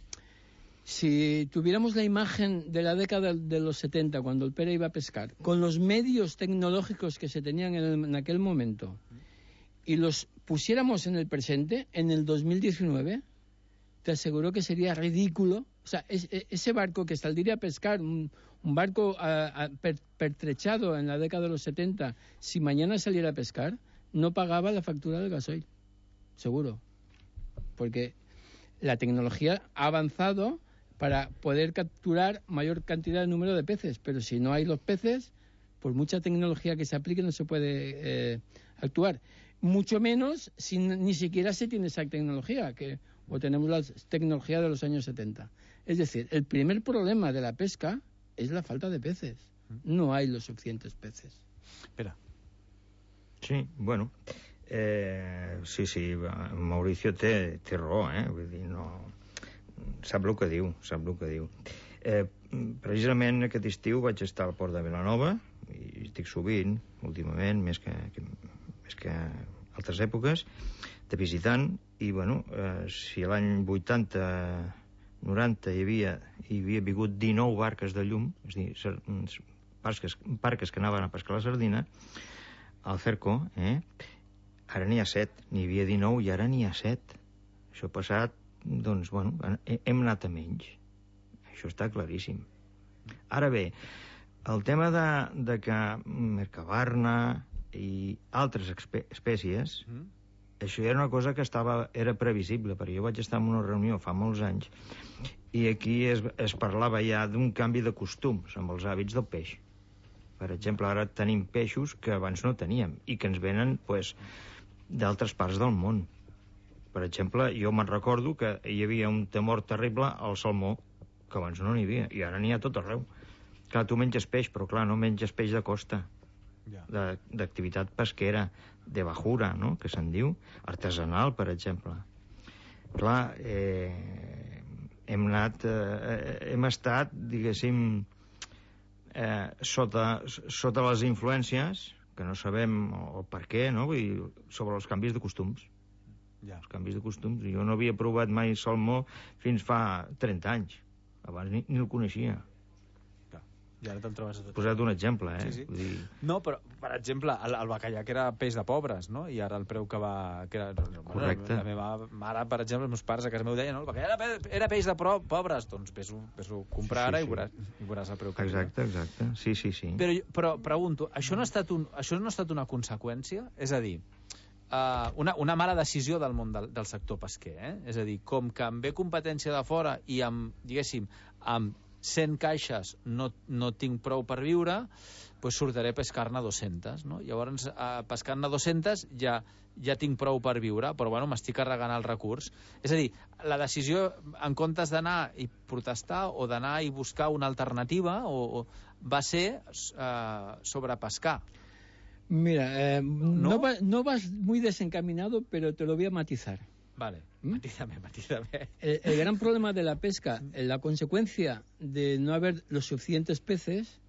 tuviéramos la imagen de la década de los 70, cuando el Pere iba a pescar, con los medios tecnológicos que se tenían en aquel momento, y los pusiéramos en el presente, en el 2019, te aseguro que sería ridículo. O sea, ese barco que saldría a pescar, un barco pertrechado en la década de los 70, si mañana saliera a pescar, no pagaba la factura del gasoil, seguro. Porque la tecnología ha avanzado para poder capturar mayor cantidad de número de peces, pero si no hay los peces, por mucha tecnología que se aplique no se puede actuar. Mucho menos si ni siquiera se tiene esa tecnología, o tenemos la tecnología de los años 70. Es decir, el primer problema de la pesca es la falta de peces. No hay los suficientes peces. Espera. Sí, bueno, sí, Mauricio té raó, vull dir, no... Sap el que diu. Precisament aquest estiu vaig estar al port de Vilanova, hi estic sovint, últimament, més que altres èpoques, de visitant, i bueno, si l'any 80-90 hi havia vingut 19 barques de llum, és a dir, barques que anaven a pescar la sardina, al Cerco, ara n'hi ha 7, n'hi havia 19 i ara n'hi ha 7. Això ha passat, doncs, bueno, hem anat a menys. Això està claríssim. Ara bé, el tema de que Mercabarna i altres espècies, això era una cosa que era previsible, perquè jo vaig estar en una reunió fa molts anys i aquí es parlava ja d'un canvi de costums amb els hàbits del peix. Per exemple, ara tenim peixos que abans no teníem i que ens venen d'altres parts del món. Per exemple, jo me'n recordo que hi havia un temor terrible al salmó, que abans no n'hi havia, i ara n'hi ha tot arreu. Clar, tu menges peix, però clar, no menges peix de costa, d'activitat pesquera, de bajura, no?, que se'n diu, artesanal, per exemple. Clar, hem estat, diguéssim, sota les influències, que no sabem el per què, no?, vull dir, sobre els canvis de costums. Els canvis de costums. Jo no havia provat mai salmó fins fa 30 anys. Abans ni el coneixia. I ara te'l trobes a tot. He posat un exemple, Sí. No, però, per exemple, el bacallà, que era peix de pobres, no? I ara el preu que va... Correcte. La meva mare, per exemple, els meus pares a casa meu deien, no, el bacallà era peix de pobres, doncs vés-ho comprar ara i veuràs el preu que... Exacte. Sí. Però pregunto, això no ha estat una conseqüència? És a dir, una mala decisió del món del sector pesquer, És a dir, com que em ve competència de fora i amb, diguéssim, amb 100 caixes no tinc prou per viure, doncs sortiré a pescar-ne 200, no? Llavors, pescant-ne 200 ja tinc prou per viure, però bueno, m'estic carregant el recurs. És a dir, la decisió, en comptes d'anar i protestar o d'anar i buscar una alternativa, va ser sobrepescar. Mira, no vas muy desencaminado, pero te lo voy a matizar. Vale, matízame. El gran problema de la pesca, la consecuencia de no haber los suficientes peces,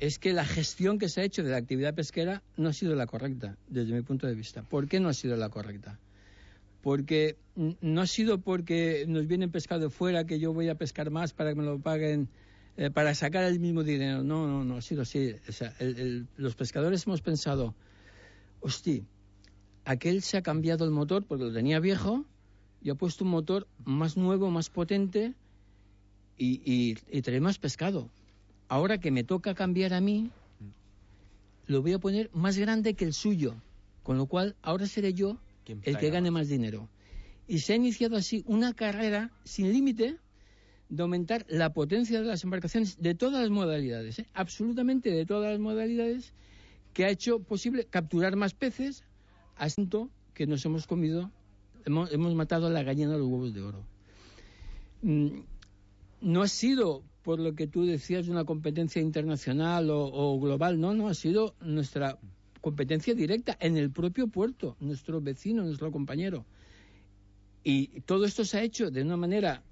es que la gestión que se ha hecho de la actividad pesquera no ha sido la correcta, desde mi punto de vista. ¿Por qué no ha sido la correcta? Porque no ha sido porque nos vienen pescado fuera, que yo voy a pescar más para que me lo paguen, para sacar el mismo dinero. No ha sido así. O sea, los pescadores hemos pensado, hostia, aquel se ha cambiado el motor porque lo tenía viejo y ha puesto un motor más nuevo, más potente y trae más pescado. Ahora que me toca cambiar a mí, lo voy a poner más grande que el suyo, con lo cual ahora seré yo el que gane más dinero. Y se ha iniciado así una carrera sin límite de aumentar la potencia de las embarcaciones de todas las modalidades, absolutamente de todas las modalidades, que ha hecho posible capturar más peces, asunto que nos hemos comido, hemos matado a la gallina de los huevos de oro. No ha sido, por lo que tú decías, una competencia internacional o global, no, ha sido nuestra competencia directa en el propio puerto, nuestro vecino, nuestro compañero. Y todo esto se ha hecho de una manera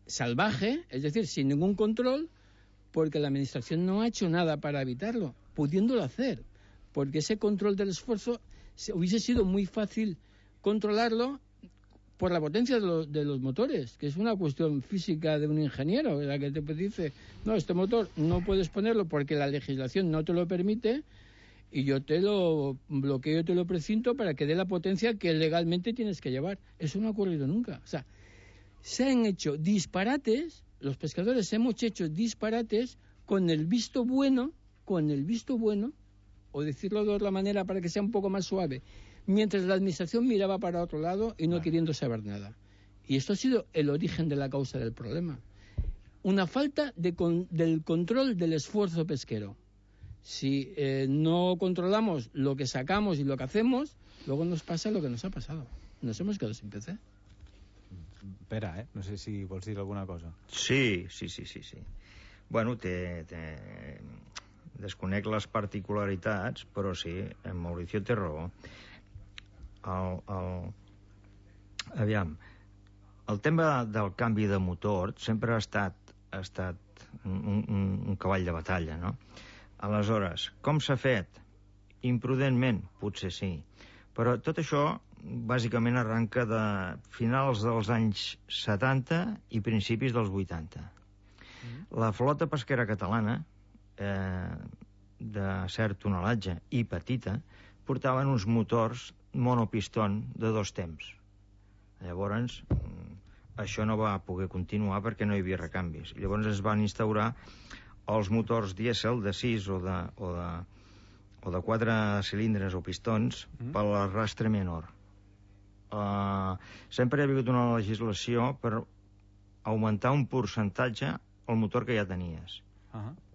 salvaje, es decir, sin ningún control, porque la administración no ha hecho nada para evitarlo, pudiéndolo hacer, porque ese control del esfuerzo hubiese sido muy fácil controlarlo por la potencia de los motores, que es una cuestión física de un ingeniero, la que te dice, no, este motor no puedes ponerlo porque la legislación no te lo permite y yo te lo bloqueo, te lo precinto para que dé la potencia que legalmente tienes que llevar. Eso no ha ocurrido nunca. O sea, se han hecho disparates, los pescadores hemos hecho disparates con el visto bueno, o decirlo de otra manera para que sea un poco más suave, mientras la administración miraba para otro lado y no queriendo saber nada. Y esto ha sido el origen de la causa del problema. Una falta del control del esfuerzo pesquero. Si no controlamos lo que sacamos y lo que hacemos, luego nos pasa lo que nos ha pasado. Nos hemos quedado sin PC. Espera, no sé si vols dir alguna cosa. Sí. Bueno, desconec les particularitats, però sí, en Mauricio té raó. Aviam, el tema del canvi de motor sempre ha estat un cavall de batalla, no? Aleshores, com s'ha fet? Imprudentment, potser sí. Però tot això, bàsicament, arranca de finals dels anys 70 i principis dels 80. La flota pesquera catalana, de cert tonelatge i petita, portaven uns motors monopistón de 2 temps. Llavors, això no va poder continuar perquè no hi havia recanvis. Llavors es van instaurar els motors dièsel de 6 o de 4 cilindres o pistons per l'arrastre menor. Sempre hi ha hagut una legislació per augmentar un percentatge al motor que ja tenies,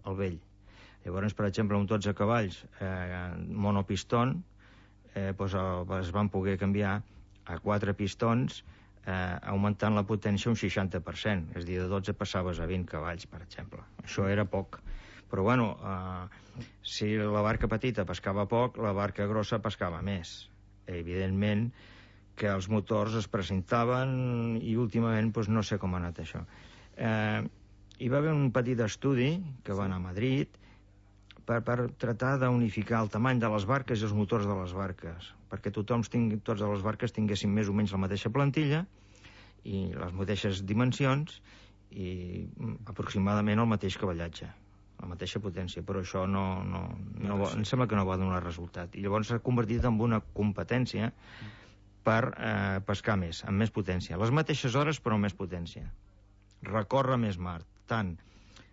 el vell. Llavors, per exemple, un 12 cavalls monopistón es van poder canviar a 4 pistons augmentant la potència un 60%. És a dir, de 12 passaves a 20 cavalls, per exemple. Això era poc. Però, bueno, si la barca petita pescava poc, la barca grossa pescava més. Evidentment que els motors es presentaven i últimament no sé com ha anat això. Hi va haver un petit estudi que va anar a Madrid per tratar d'unificar el tamany de les barques i els motors de les barques, perquè totes les barques tinguessin més o menys la mateixa plantilla i les mateixes dimensions i aproximadament el mateix cavallatge, la mateixa potència, però això em sembla que no va donar resultat. I llavors s'ha convertit en una competència per pescar més, amb més potència. Les mateixes hores, però amb més potència. Recórrer més mar, tant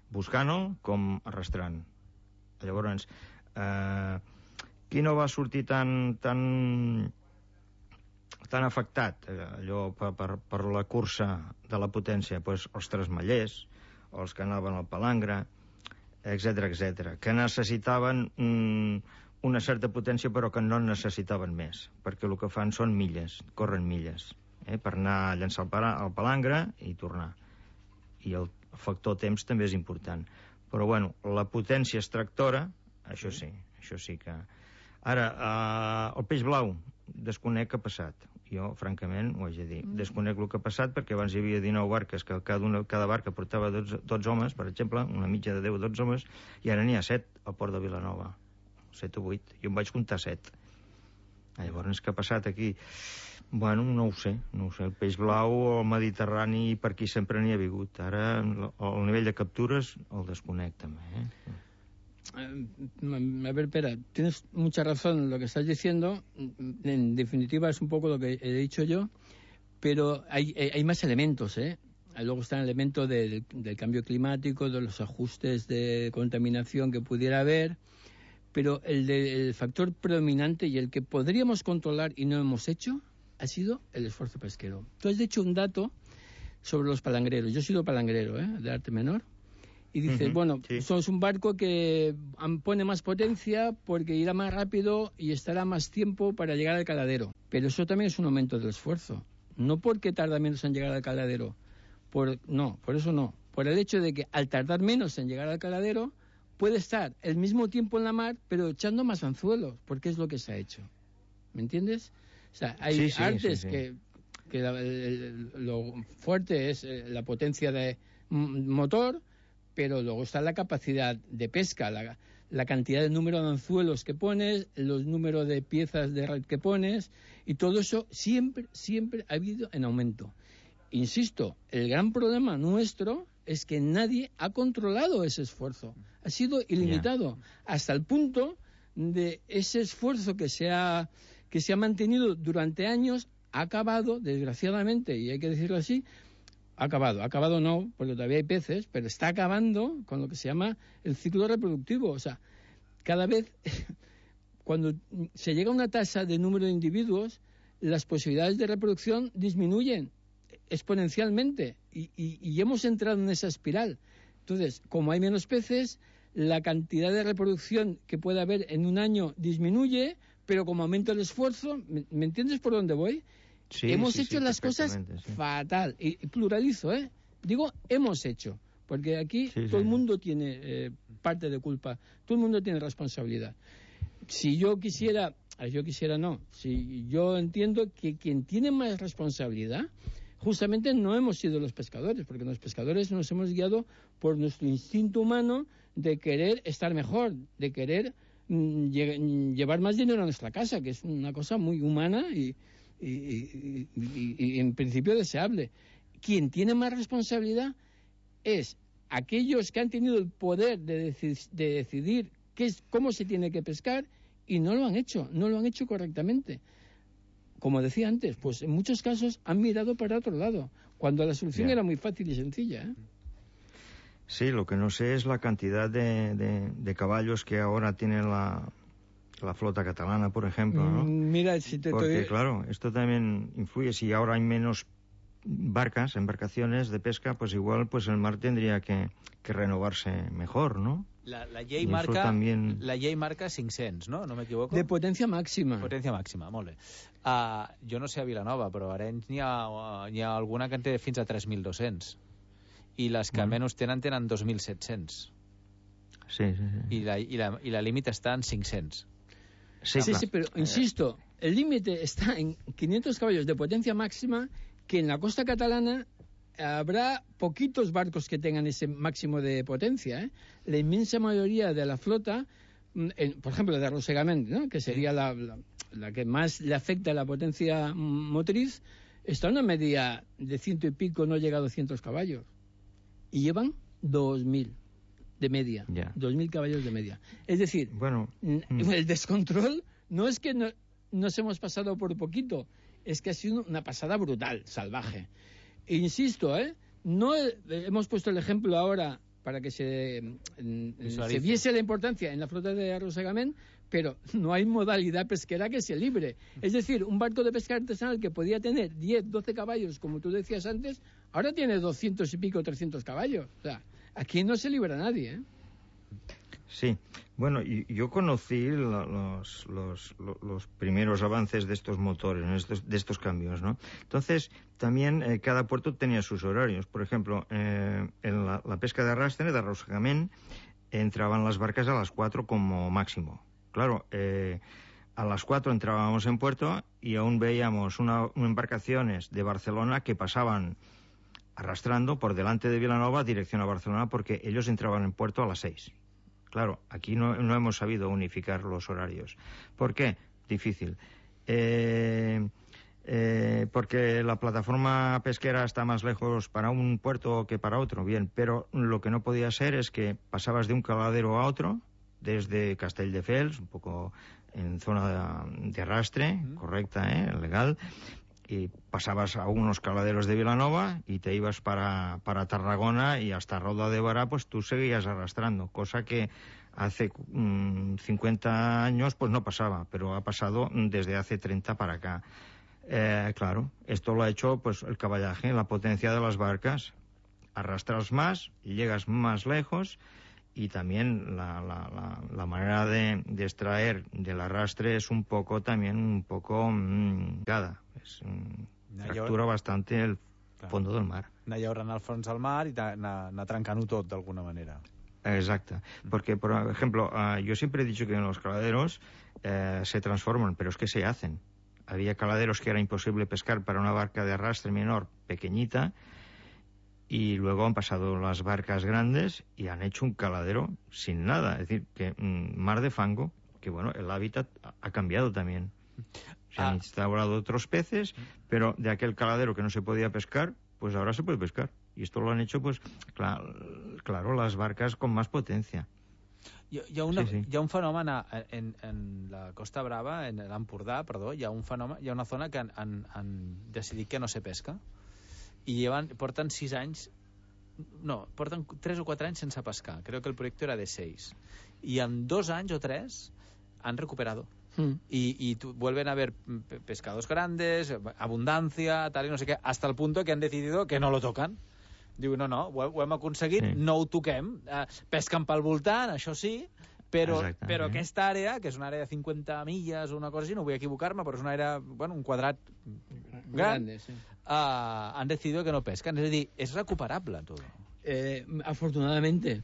buscant-lo com arrastrant. Llavors, qui no va sortir tan afectat allò per la cursa de la potència? Doncs els tresmallers, els que anaven al palangre, etc., que necessitaven una certa potència però que no necessitaven més, perquè el que fan són milles, corren milles, per anar a llançar el palangre i tornar. I el factor temps també és important. Però, bueno, la potència extractora, això sí que... Ara, el peix blau, desconec què ha passat. Jo, francament, ho haig de dir. Desconec el que ha passat perquè abans hi havia 19 barques, que cada barca portava 12 homes, per exemple, una mitja de 10-12 homes, i ara n'hi ha 7 al port de Vilanova. 7 o 8. Jo em vaig comptar 7. Llavors, què ha passat aquí? Bueno, no ho sé. El peix blau al Mediterrani per aquí sempre n'hi ha hagut. Ara el nivell de captures el desconec també. A ver, Pera, tienes mucha razón en lo que estás diciendo. En definitiva es un poco lo que he dicho yo, pero hay más elementos, Luego está el elemento del cambio climático, de los ajustes de contaminación que pudiera haber, pero el factor predominante y el que podríamos controlar y no hemos hecho ha sido el esfuerzo pesquero. Tú has dicho un dato sobre los palangreros. Yo he sido palangrero, de arte menor. Y dices, eso es un barco que pone más potencia porque irá más rápido y estará más tiempo para llegar al caladero. Pero eso también es un aumento del esfuerzo. No porque tarda menos en llegar al caladero. Por eso no. Por el hecho de que al tardar menos en llegar al caladero, puede estar el mismo tiempo en la mar, pero echando más anzuelos, porque es lo que se ha hecho. ¿Me entiendes? O sea, hay artes que lo fuerte es la potencia de motor, pero luego está la capacidad de pesca, la cantidad de número de anzuelos que pones, los números de piezas de red que pones, y todo eso siempre ha habido en aumento. Insisto, el gran problema nuestro es que nadie ha controlado ese esfuerzo. Ha sido ilimitado, hasta el punto de ese esfuerzo que se ha mantenido durante años, ha acabado, desgraciadamente, y hay que decirlo así, acabado no, porque todavía hay peces, pero está acabando con lo que se llama el ciclo reproductivo. O sea, cada vez, cuando se llega a una tasa de número de individuos, las posibilidades de reproducción disminuyen exponencialmente y hemos entrado en esa espiral. Entonces, como hay menos peces, la cantidad de reproducción que puede haber en un año disminuye, pero como aumenta el esfuerzo, ¿me entiendes por dónde voy? Hemos hecho las cosas fatal. Y pluralizo, Digo, hemos hecho. Porque aquí todo el mundo tiene parte de culpa. Todo el mundo tiene responsabilidad. Si yo quisiera no. Si yo entiendo que quien tiene más responsabilidad justamente no hemos sido los pescadores, porque los pescadores nos hemos guiado por nuestro instinto humano de querer estar mejor, de querer llevar más dinero a nuestra casa, que es una cosa muy humana y en principio deseable. Quien tiene más responsabilidad es aquellos que han tenido el poder de decidir cómo se tiene que pescar y no lo han hecho correctamente. Como decía antes, pues en muchos casos han mirado para otro lado, cuando la solución era muy fácil y sencilla, ¿eh? Sí, lo que no sé es la cantidad de caballos que ahora tiene la flota catalana, por ejemplo, ¿no? Mira, porque claro, esto también influye. Si ahora hay menos embarcaciones de pesca, pues igual pues el mar tendría que renovarse mejor, ¿no? La llei marca, también... la llei marca 500, no? No m'equivoco? De potència màxima. Potència màxima, molt bé. Jo no sé a Vilanova, però a Arenys n'hi ha alguna que en té fins a 3.200. I les que menys tenen 2.700. Sí. I la límit està en 500. Sí, pero insisto, el límite está en 500 caballos de potencia máxima, que en la costa catalana habrá poquitos barcos que tengan ese máximo de potencia, ¿eh? La inmensa mayoría de la flota, por ejemplo, de arrossegament, ¿no? Que sería la que más le afecta a la potencia motriz, está en una media de 100 y pico, no llega a 200 caballos. Y llevan 2.000 de media, 2.000 caballos de media. Es decir, el descontrol no es que nos hemos pasado por poquito, es que ha sido una pasada brutal, salvaje. E insisto, no hemos puesto el ejemplo ahora para que se viese la importancia en la flota de arrossegament, pero no hay modalidad pesquera que sea libre. Es decir, un barco de pesca artesanal que podía tener 10, 12 caballos, como tú decías antes, ahora tiene 200 y pico, 300 caballos. O sea, aquí no se libra nadie, ¿eh? Sí, bueno, yo conocí los primeros avances de estos motores, de estos cambios, ¿no? Entonces, también cada puerto tenía sus horarios. Por ejemplo, en la pesca de arrastre, de arrossegament, entraban las barcas a las 4 como máximo. Claro, a las 4 entrábamos en puerto y aún veíamos embarcaciones de Barcelona que pasaban arrastrando por delante de Vilanova dirección a Barcelona, porque ellos entraban en puerto a las 6. Claro, aquí no hemos sabido unificar los horarios. ¿Por qué? Difícil. Porque la plataforma pesquera está más lejos para un puerto que para otro, bien, pero lo que no podía ser es que pasabas de un caladero a otro, desde Castelldefels, un poco en zona de arrastre, correcta, legal, y pasabas a unos caladeros de Vilanova y te ibas para Tarragona, y hasta Roda de Bará pues tú seguías arrastrando, cosa que hace 50 años pues no pasaba, pero ha pasado desde hace 30 para acá. Claro, esto lo ha hecho pues el caballaje, la potencia de las barcas. Arrastras más y llegas más lejos, y también la manera de extraer del arrastre es un poco fractura bastante el fondo del mar. Anar llaurant al fons del mar i anar trencant-ho tot d'alguna manera. Exacto, porque por ejemplo, yo siempre he dicho que en los caladeros se transforman, pero es que se hacen. Había caladeros que era imposible pescar para una barca de arrastre menor pequeñita, y luego han pasado las barcas grandes y han hecho un caladero sin nada. Es decir, que mar de fango, que bueno, el hábitat ha cambiado también. Se han instaurado otros peces, pero de aquel caladero que no se podía pescar, pues ahora se puede pescar. Y esto lo han hecho, pues, claro, las barcas con más potencia. Hi ha un fenomen en la Costa Brava, en l'Empordà, perdó, hi ha una zona que han decidit que no se pesca, i porten 6 anys, no, porten 3 o 4 anys sense pescar. Creo que el proyecto era de 6. Y en 2 años o 3 han recuperado. Y vuelven a haber pescados grandes, abundancia, tal y no sé qué, hasta el punto que han decidido que no lo tocan. Diu, no, ho hem aconseguit, no ho toquem. Pesquen pel voltant, això sí, però aquesta àrea, que és una àrea de 50 milles o una cosa així, no vull equivocar-me, però és una àrea, bueno, un quadrat gran, han decidido que no pescan. Es decir, es recuperable todo. Afortunadamente,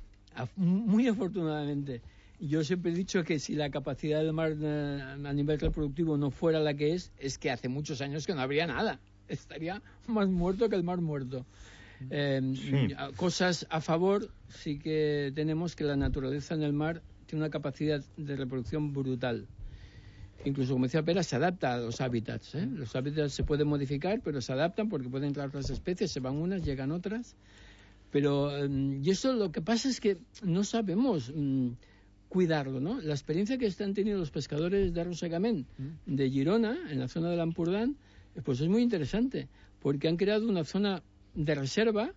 muy afortunadamente. Yo siempre he dicho que si la capacidad del mar a nivel reproductivo no fuera la que es que hace muchos años que no habría nada. estaría más muerto que el mar muerto. Sí. Cosas a favor, sí que tenemos que la naturaleza en el mar tiene una capacidad de reproducción brutal. Incluso, como decía Pera, se adapta a los hábitats. Los hábitats se pueden modificar, pero se adaptan porque pueden entrar otras especies, se van unas, llegan otras. Pero, y eso lo que pasa es que no sabemos cuidarlo, ¿no? La experiencia que están teniendo los pescadores de arrossegament de Girona, en la zona del Ampurdán, pues es muy interesante, porque han creado una zona de reserva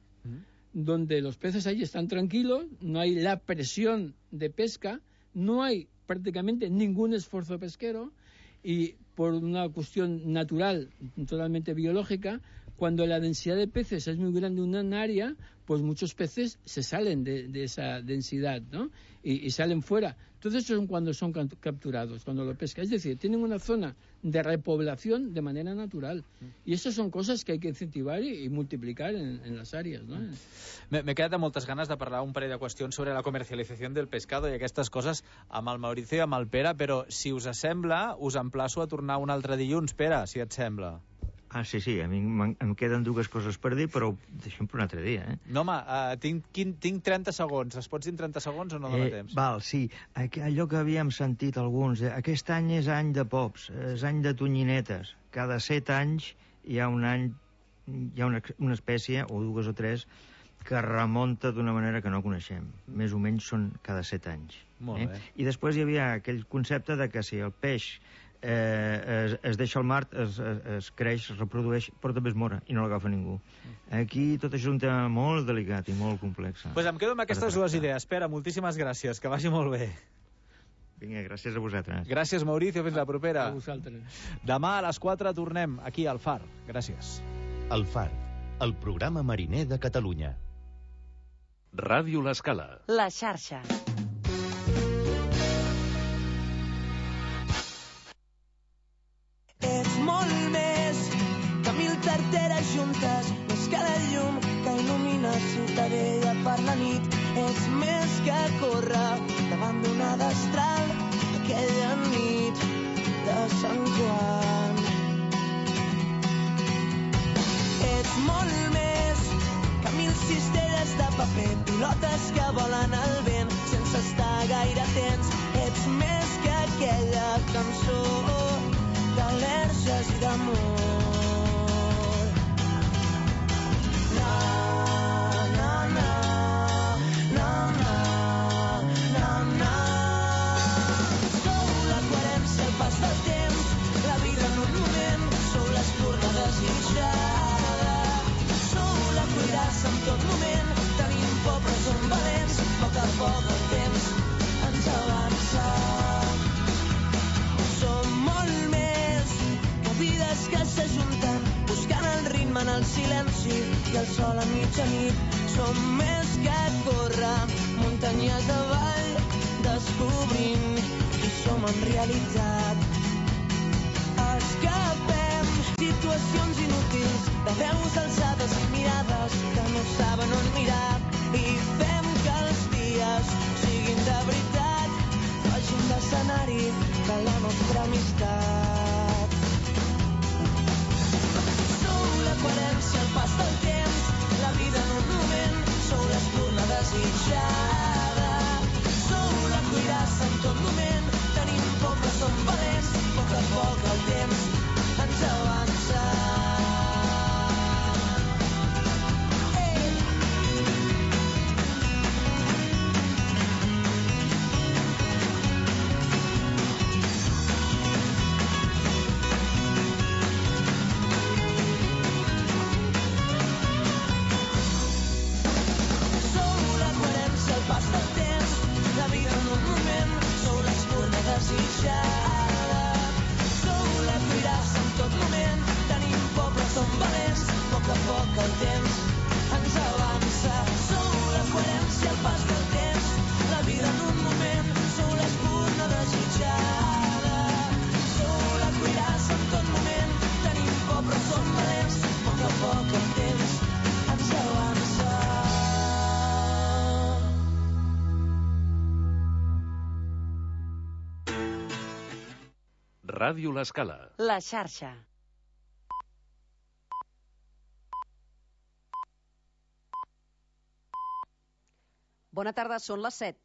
donde los peces allí están tranquilos, no hay la presión de pesca, no hay prácticamente ningún esfuerzo pesquero, y por una cuestión natural, totalmente biológica, cuando la densidad de peces es muy grande en un área, pues muchos peces se salen de esa densidad, ¿no? Y salen fuera. Entonces son cuando son capturados, cuando lo pescan. Es decir, tienen una zona de repoblación de manera natural. I aquestes són coses que hay que incentivar i multiplicar en las áreas, ¿no? M'he quedat amb moltes ganes de parlar un parell de qüestions sobre la comercialització del pescado i aquestes coses amb el Mauricio i amb el Pere, però si us sembla, us emplaço a tornar un altre dilluns, Pere, si et sembla. Ah, sí, a mi em queden dues coses per dir, però ho deixem per un altre dia, No, home, tinc 30 segons. Es pots dir en 30 segons o no dona temps? Val, sí. Allò que havíem sentit alguns, aquest any és any de pops, és any de tonyinetes. Cada 7 anys hi ha una espècie, o dues o tres, que remunta d'una manera que no coneixem. Més o menys són cada 7 anys. Molt bé. I després hi havia aquell concepte de que si el peix es deixa al mar, es creix, es reprodueix, però també es mora i no l'agafa ningú. Aquí tot això és un tema molt delicat i molt complex. Pues em quedo amb aquestes dues idees. Pere, moltíssimes gràcies, que vagi molt bé. Vinga, gràcies a vosaltres. Gràcies, Mauricio, fins la propera. A vosaltres. Demà a les 4 tornem aquí al Far. Gràcies. El Far, el programa mariner de Catalunya. Ràdio L'Escala. La xarxa. Ets molt més que 1000 tarteres juntes, més que la llum que il·lumina Ciutadella per la nit. Ets més que córrer davant d'una destral aquella nit de Sant Joan. Ets molt més que 1000 cistelles de paper, pilotes que volen al vent sense estar gaire atents. Ets més que aquella cançó d'al·lèrgies i d'amor. Na, na, na, na, na, na, na. Sou la coherència, el pas del temps, la vida en un moment, sou l'espurna desitjada. Sou la cuirassa en tot moment, tenim por però som valents, a poc el temps ens avança. Som molt més vides que s'ajunten buscant el ritme en el silenci i el sol a mitjanit. Som més que córrer muntanyes avall descobrint qui som en realitat. Escapem situacions inútils de veus alçades i mirades que no saben on mirar i fem que els dies siguin de veritat, facin d'escenari de la nostra amistat. Coherència, el pas del temps, la vida en un moment, sou l'espurna desitjada. Sou la cuirassa en tot moment, tenim por però som valents, a poc el temps ens avança. Ràdio L'Escala. La xarxa. Bona tarda, són les 7.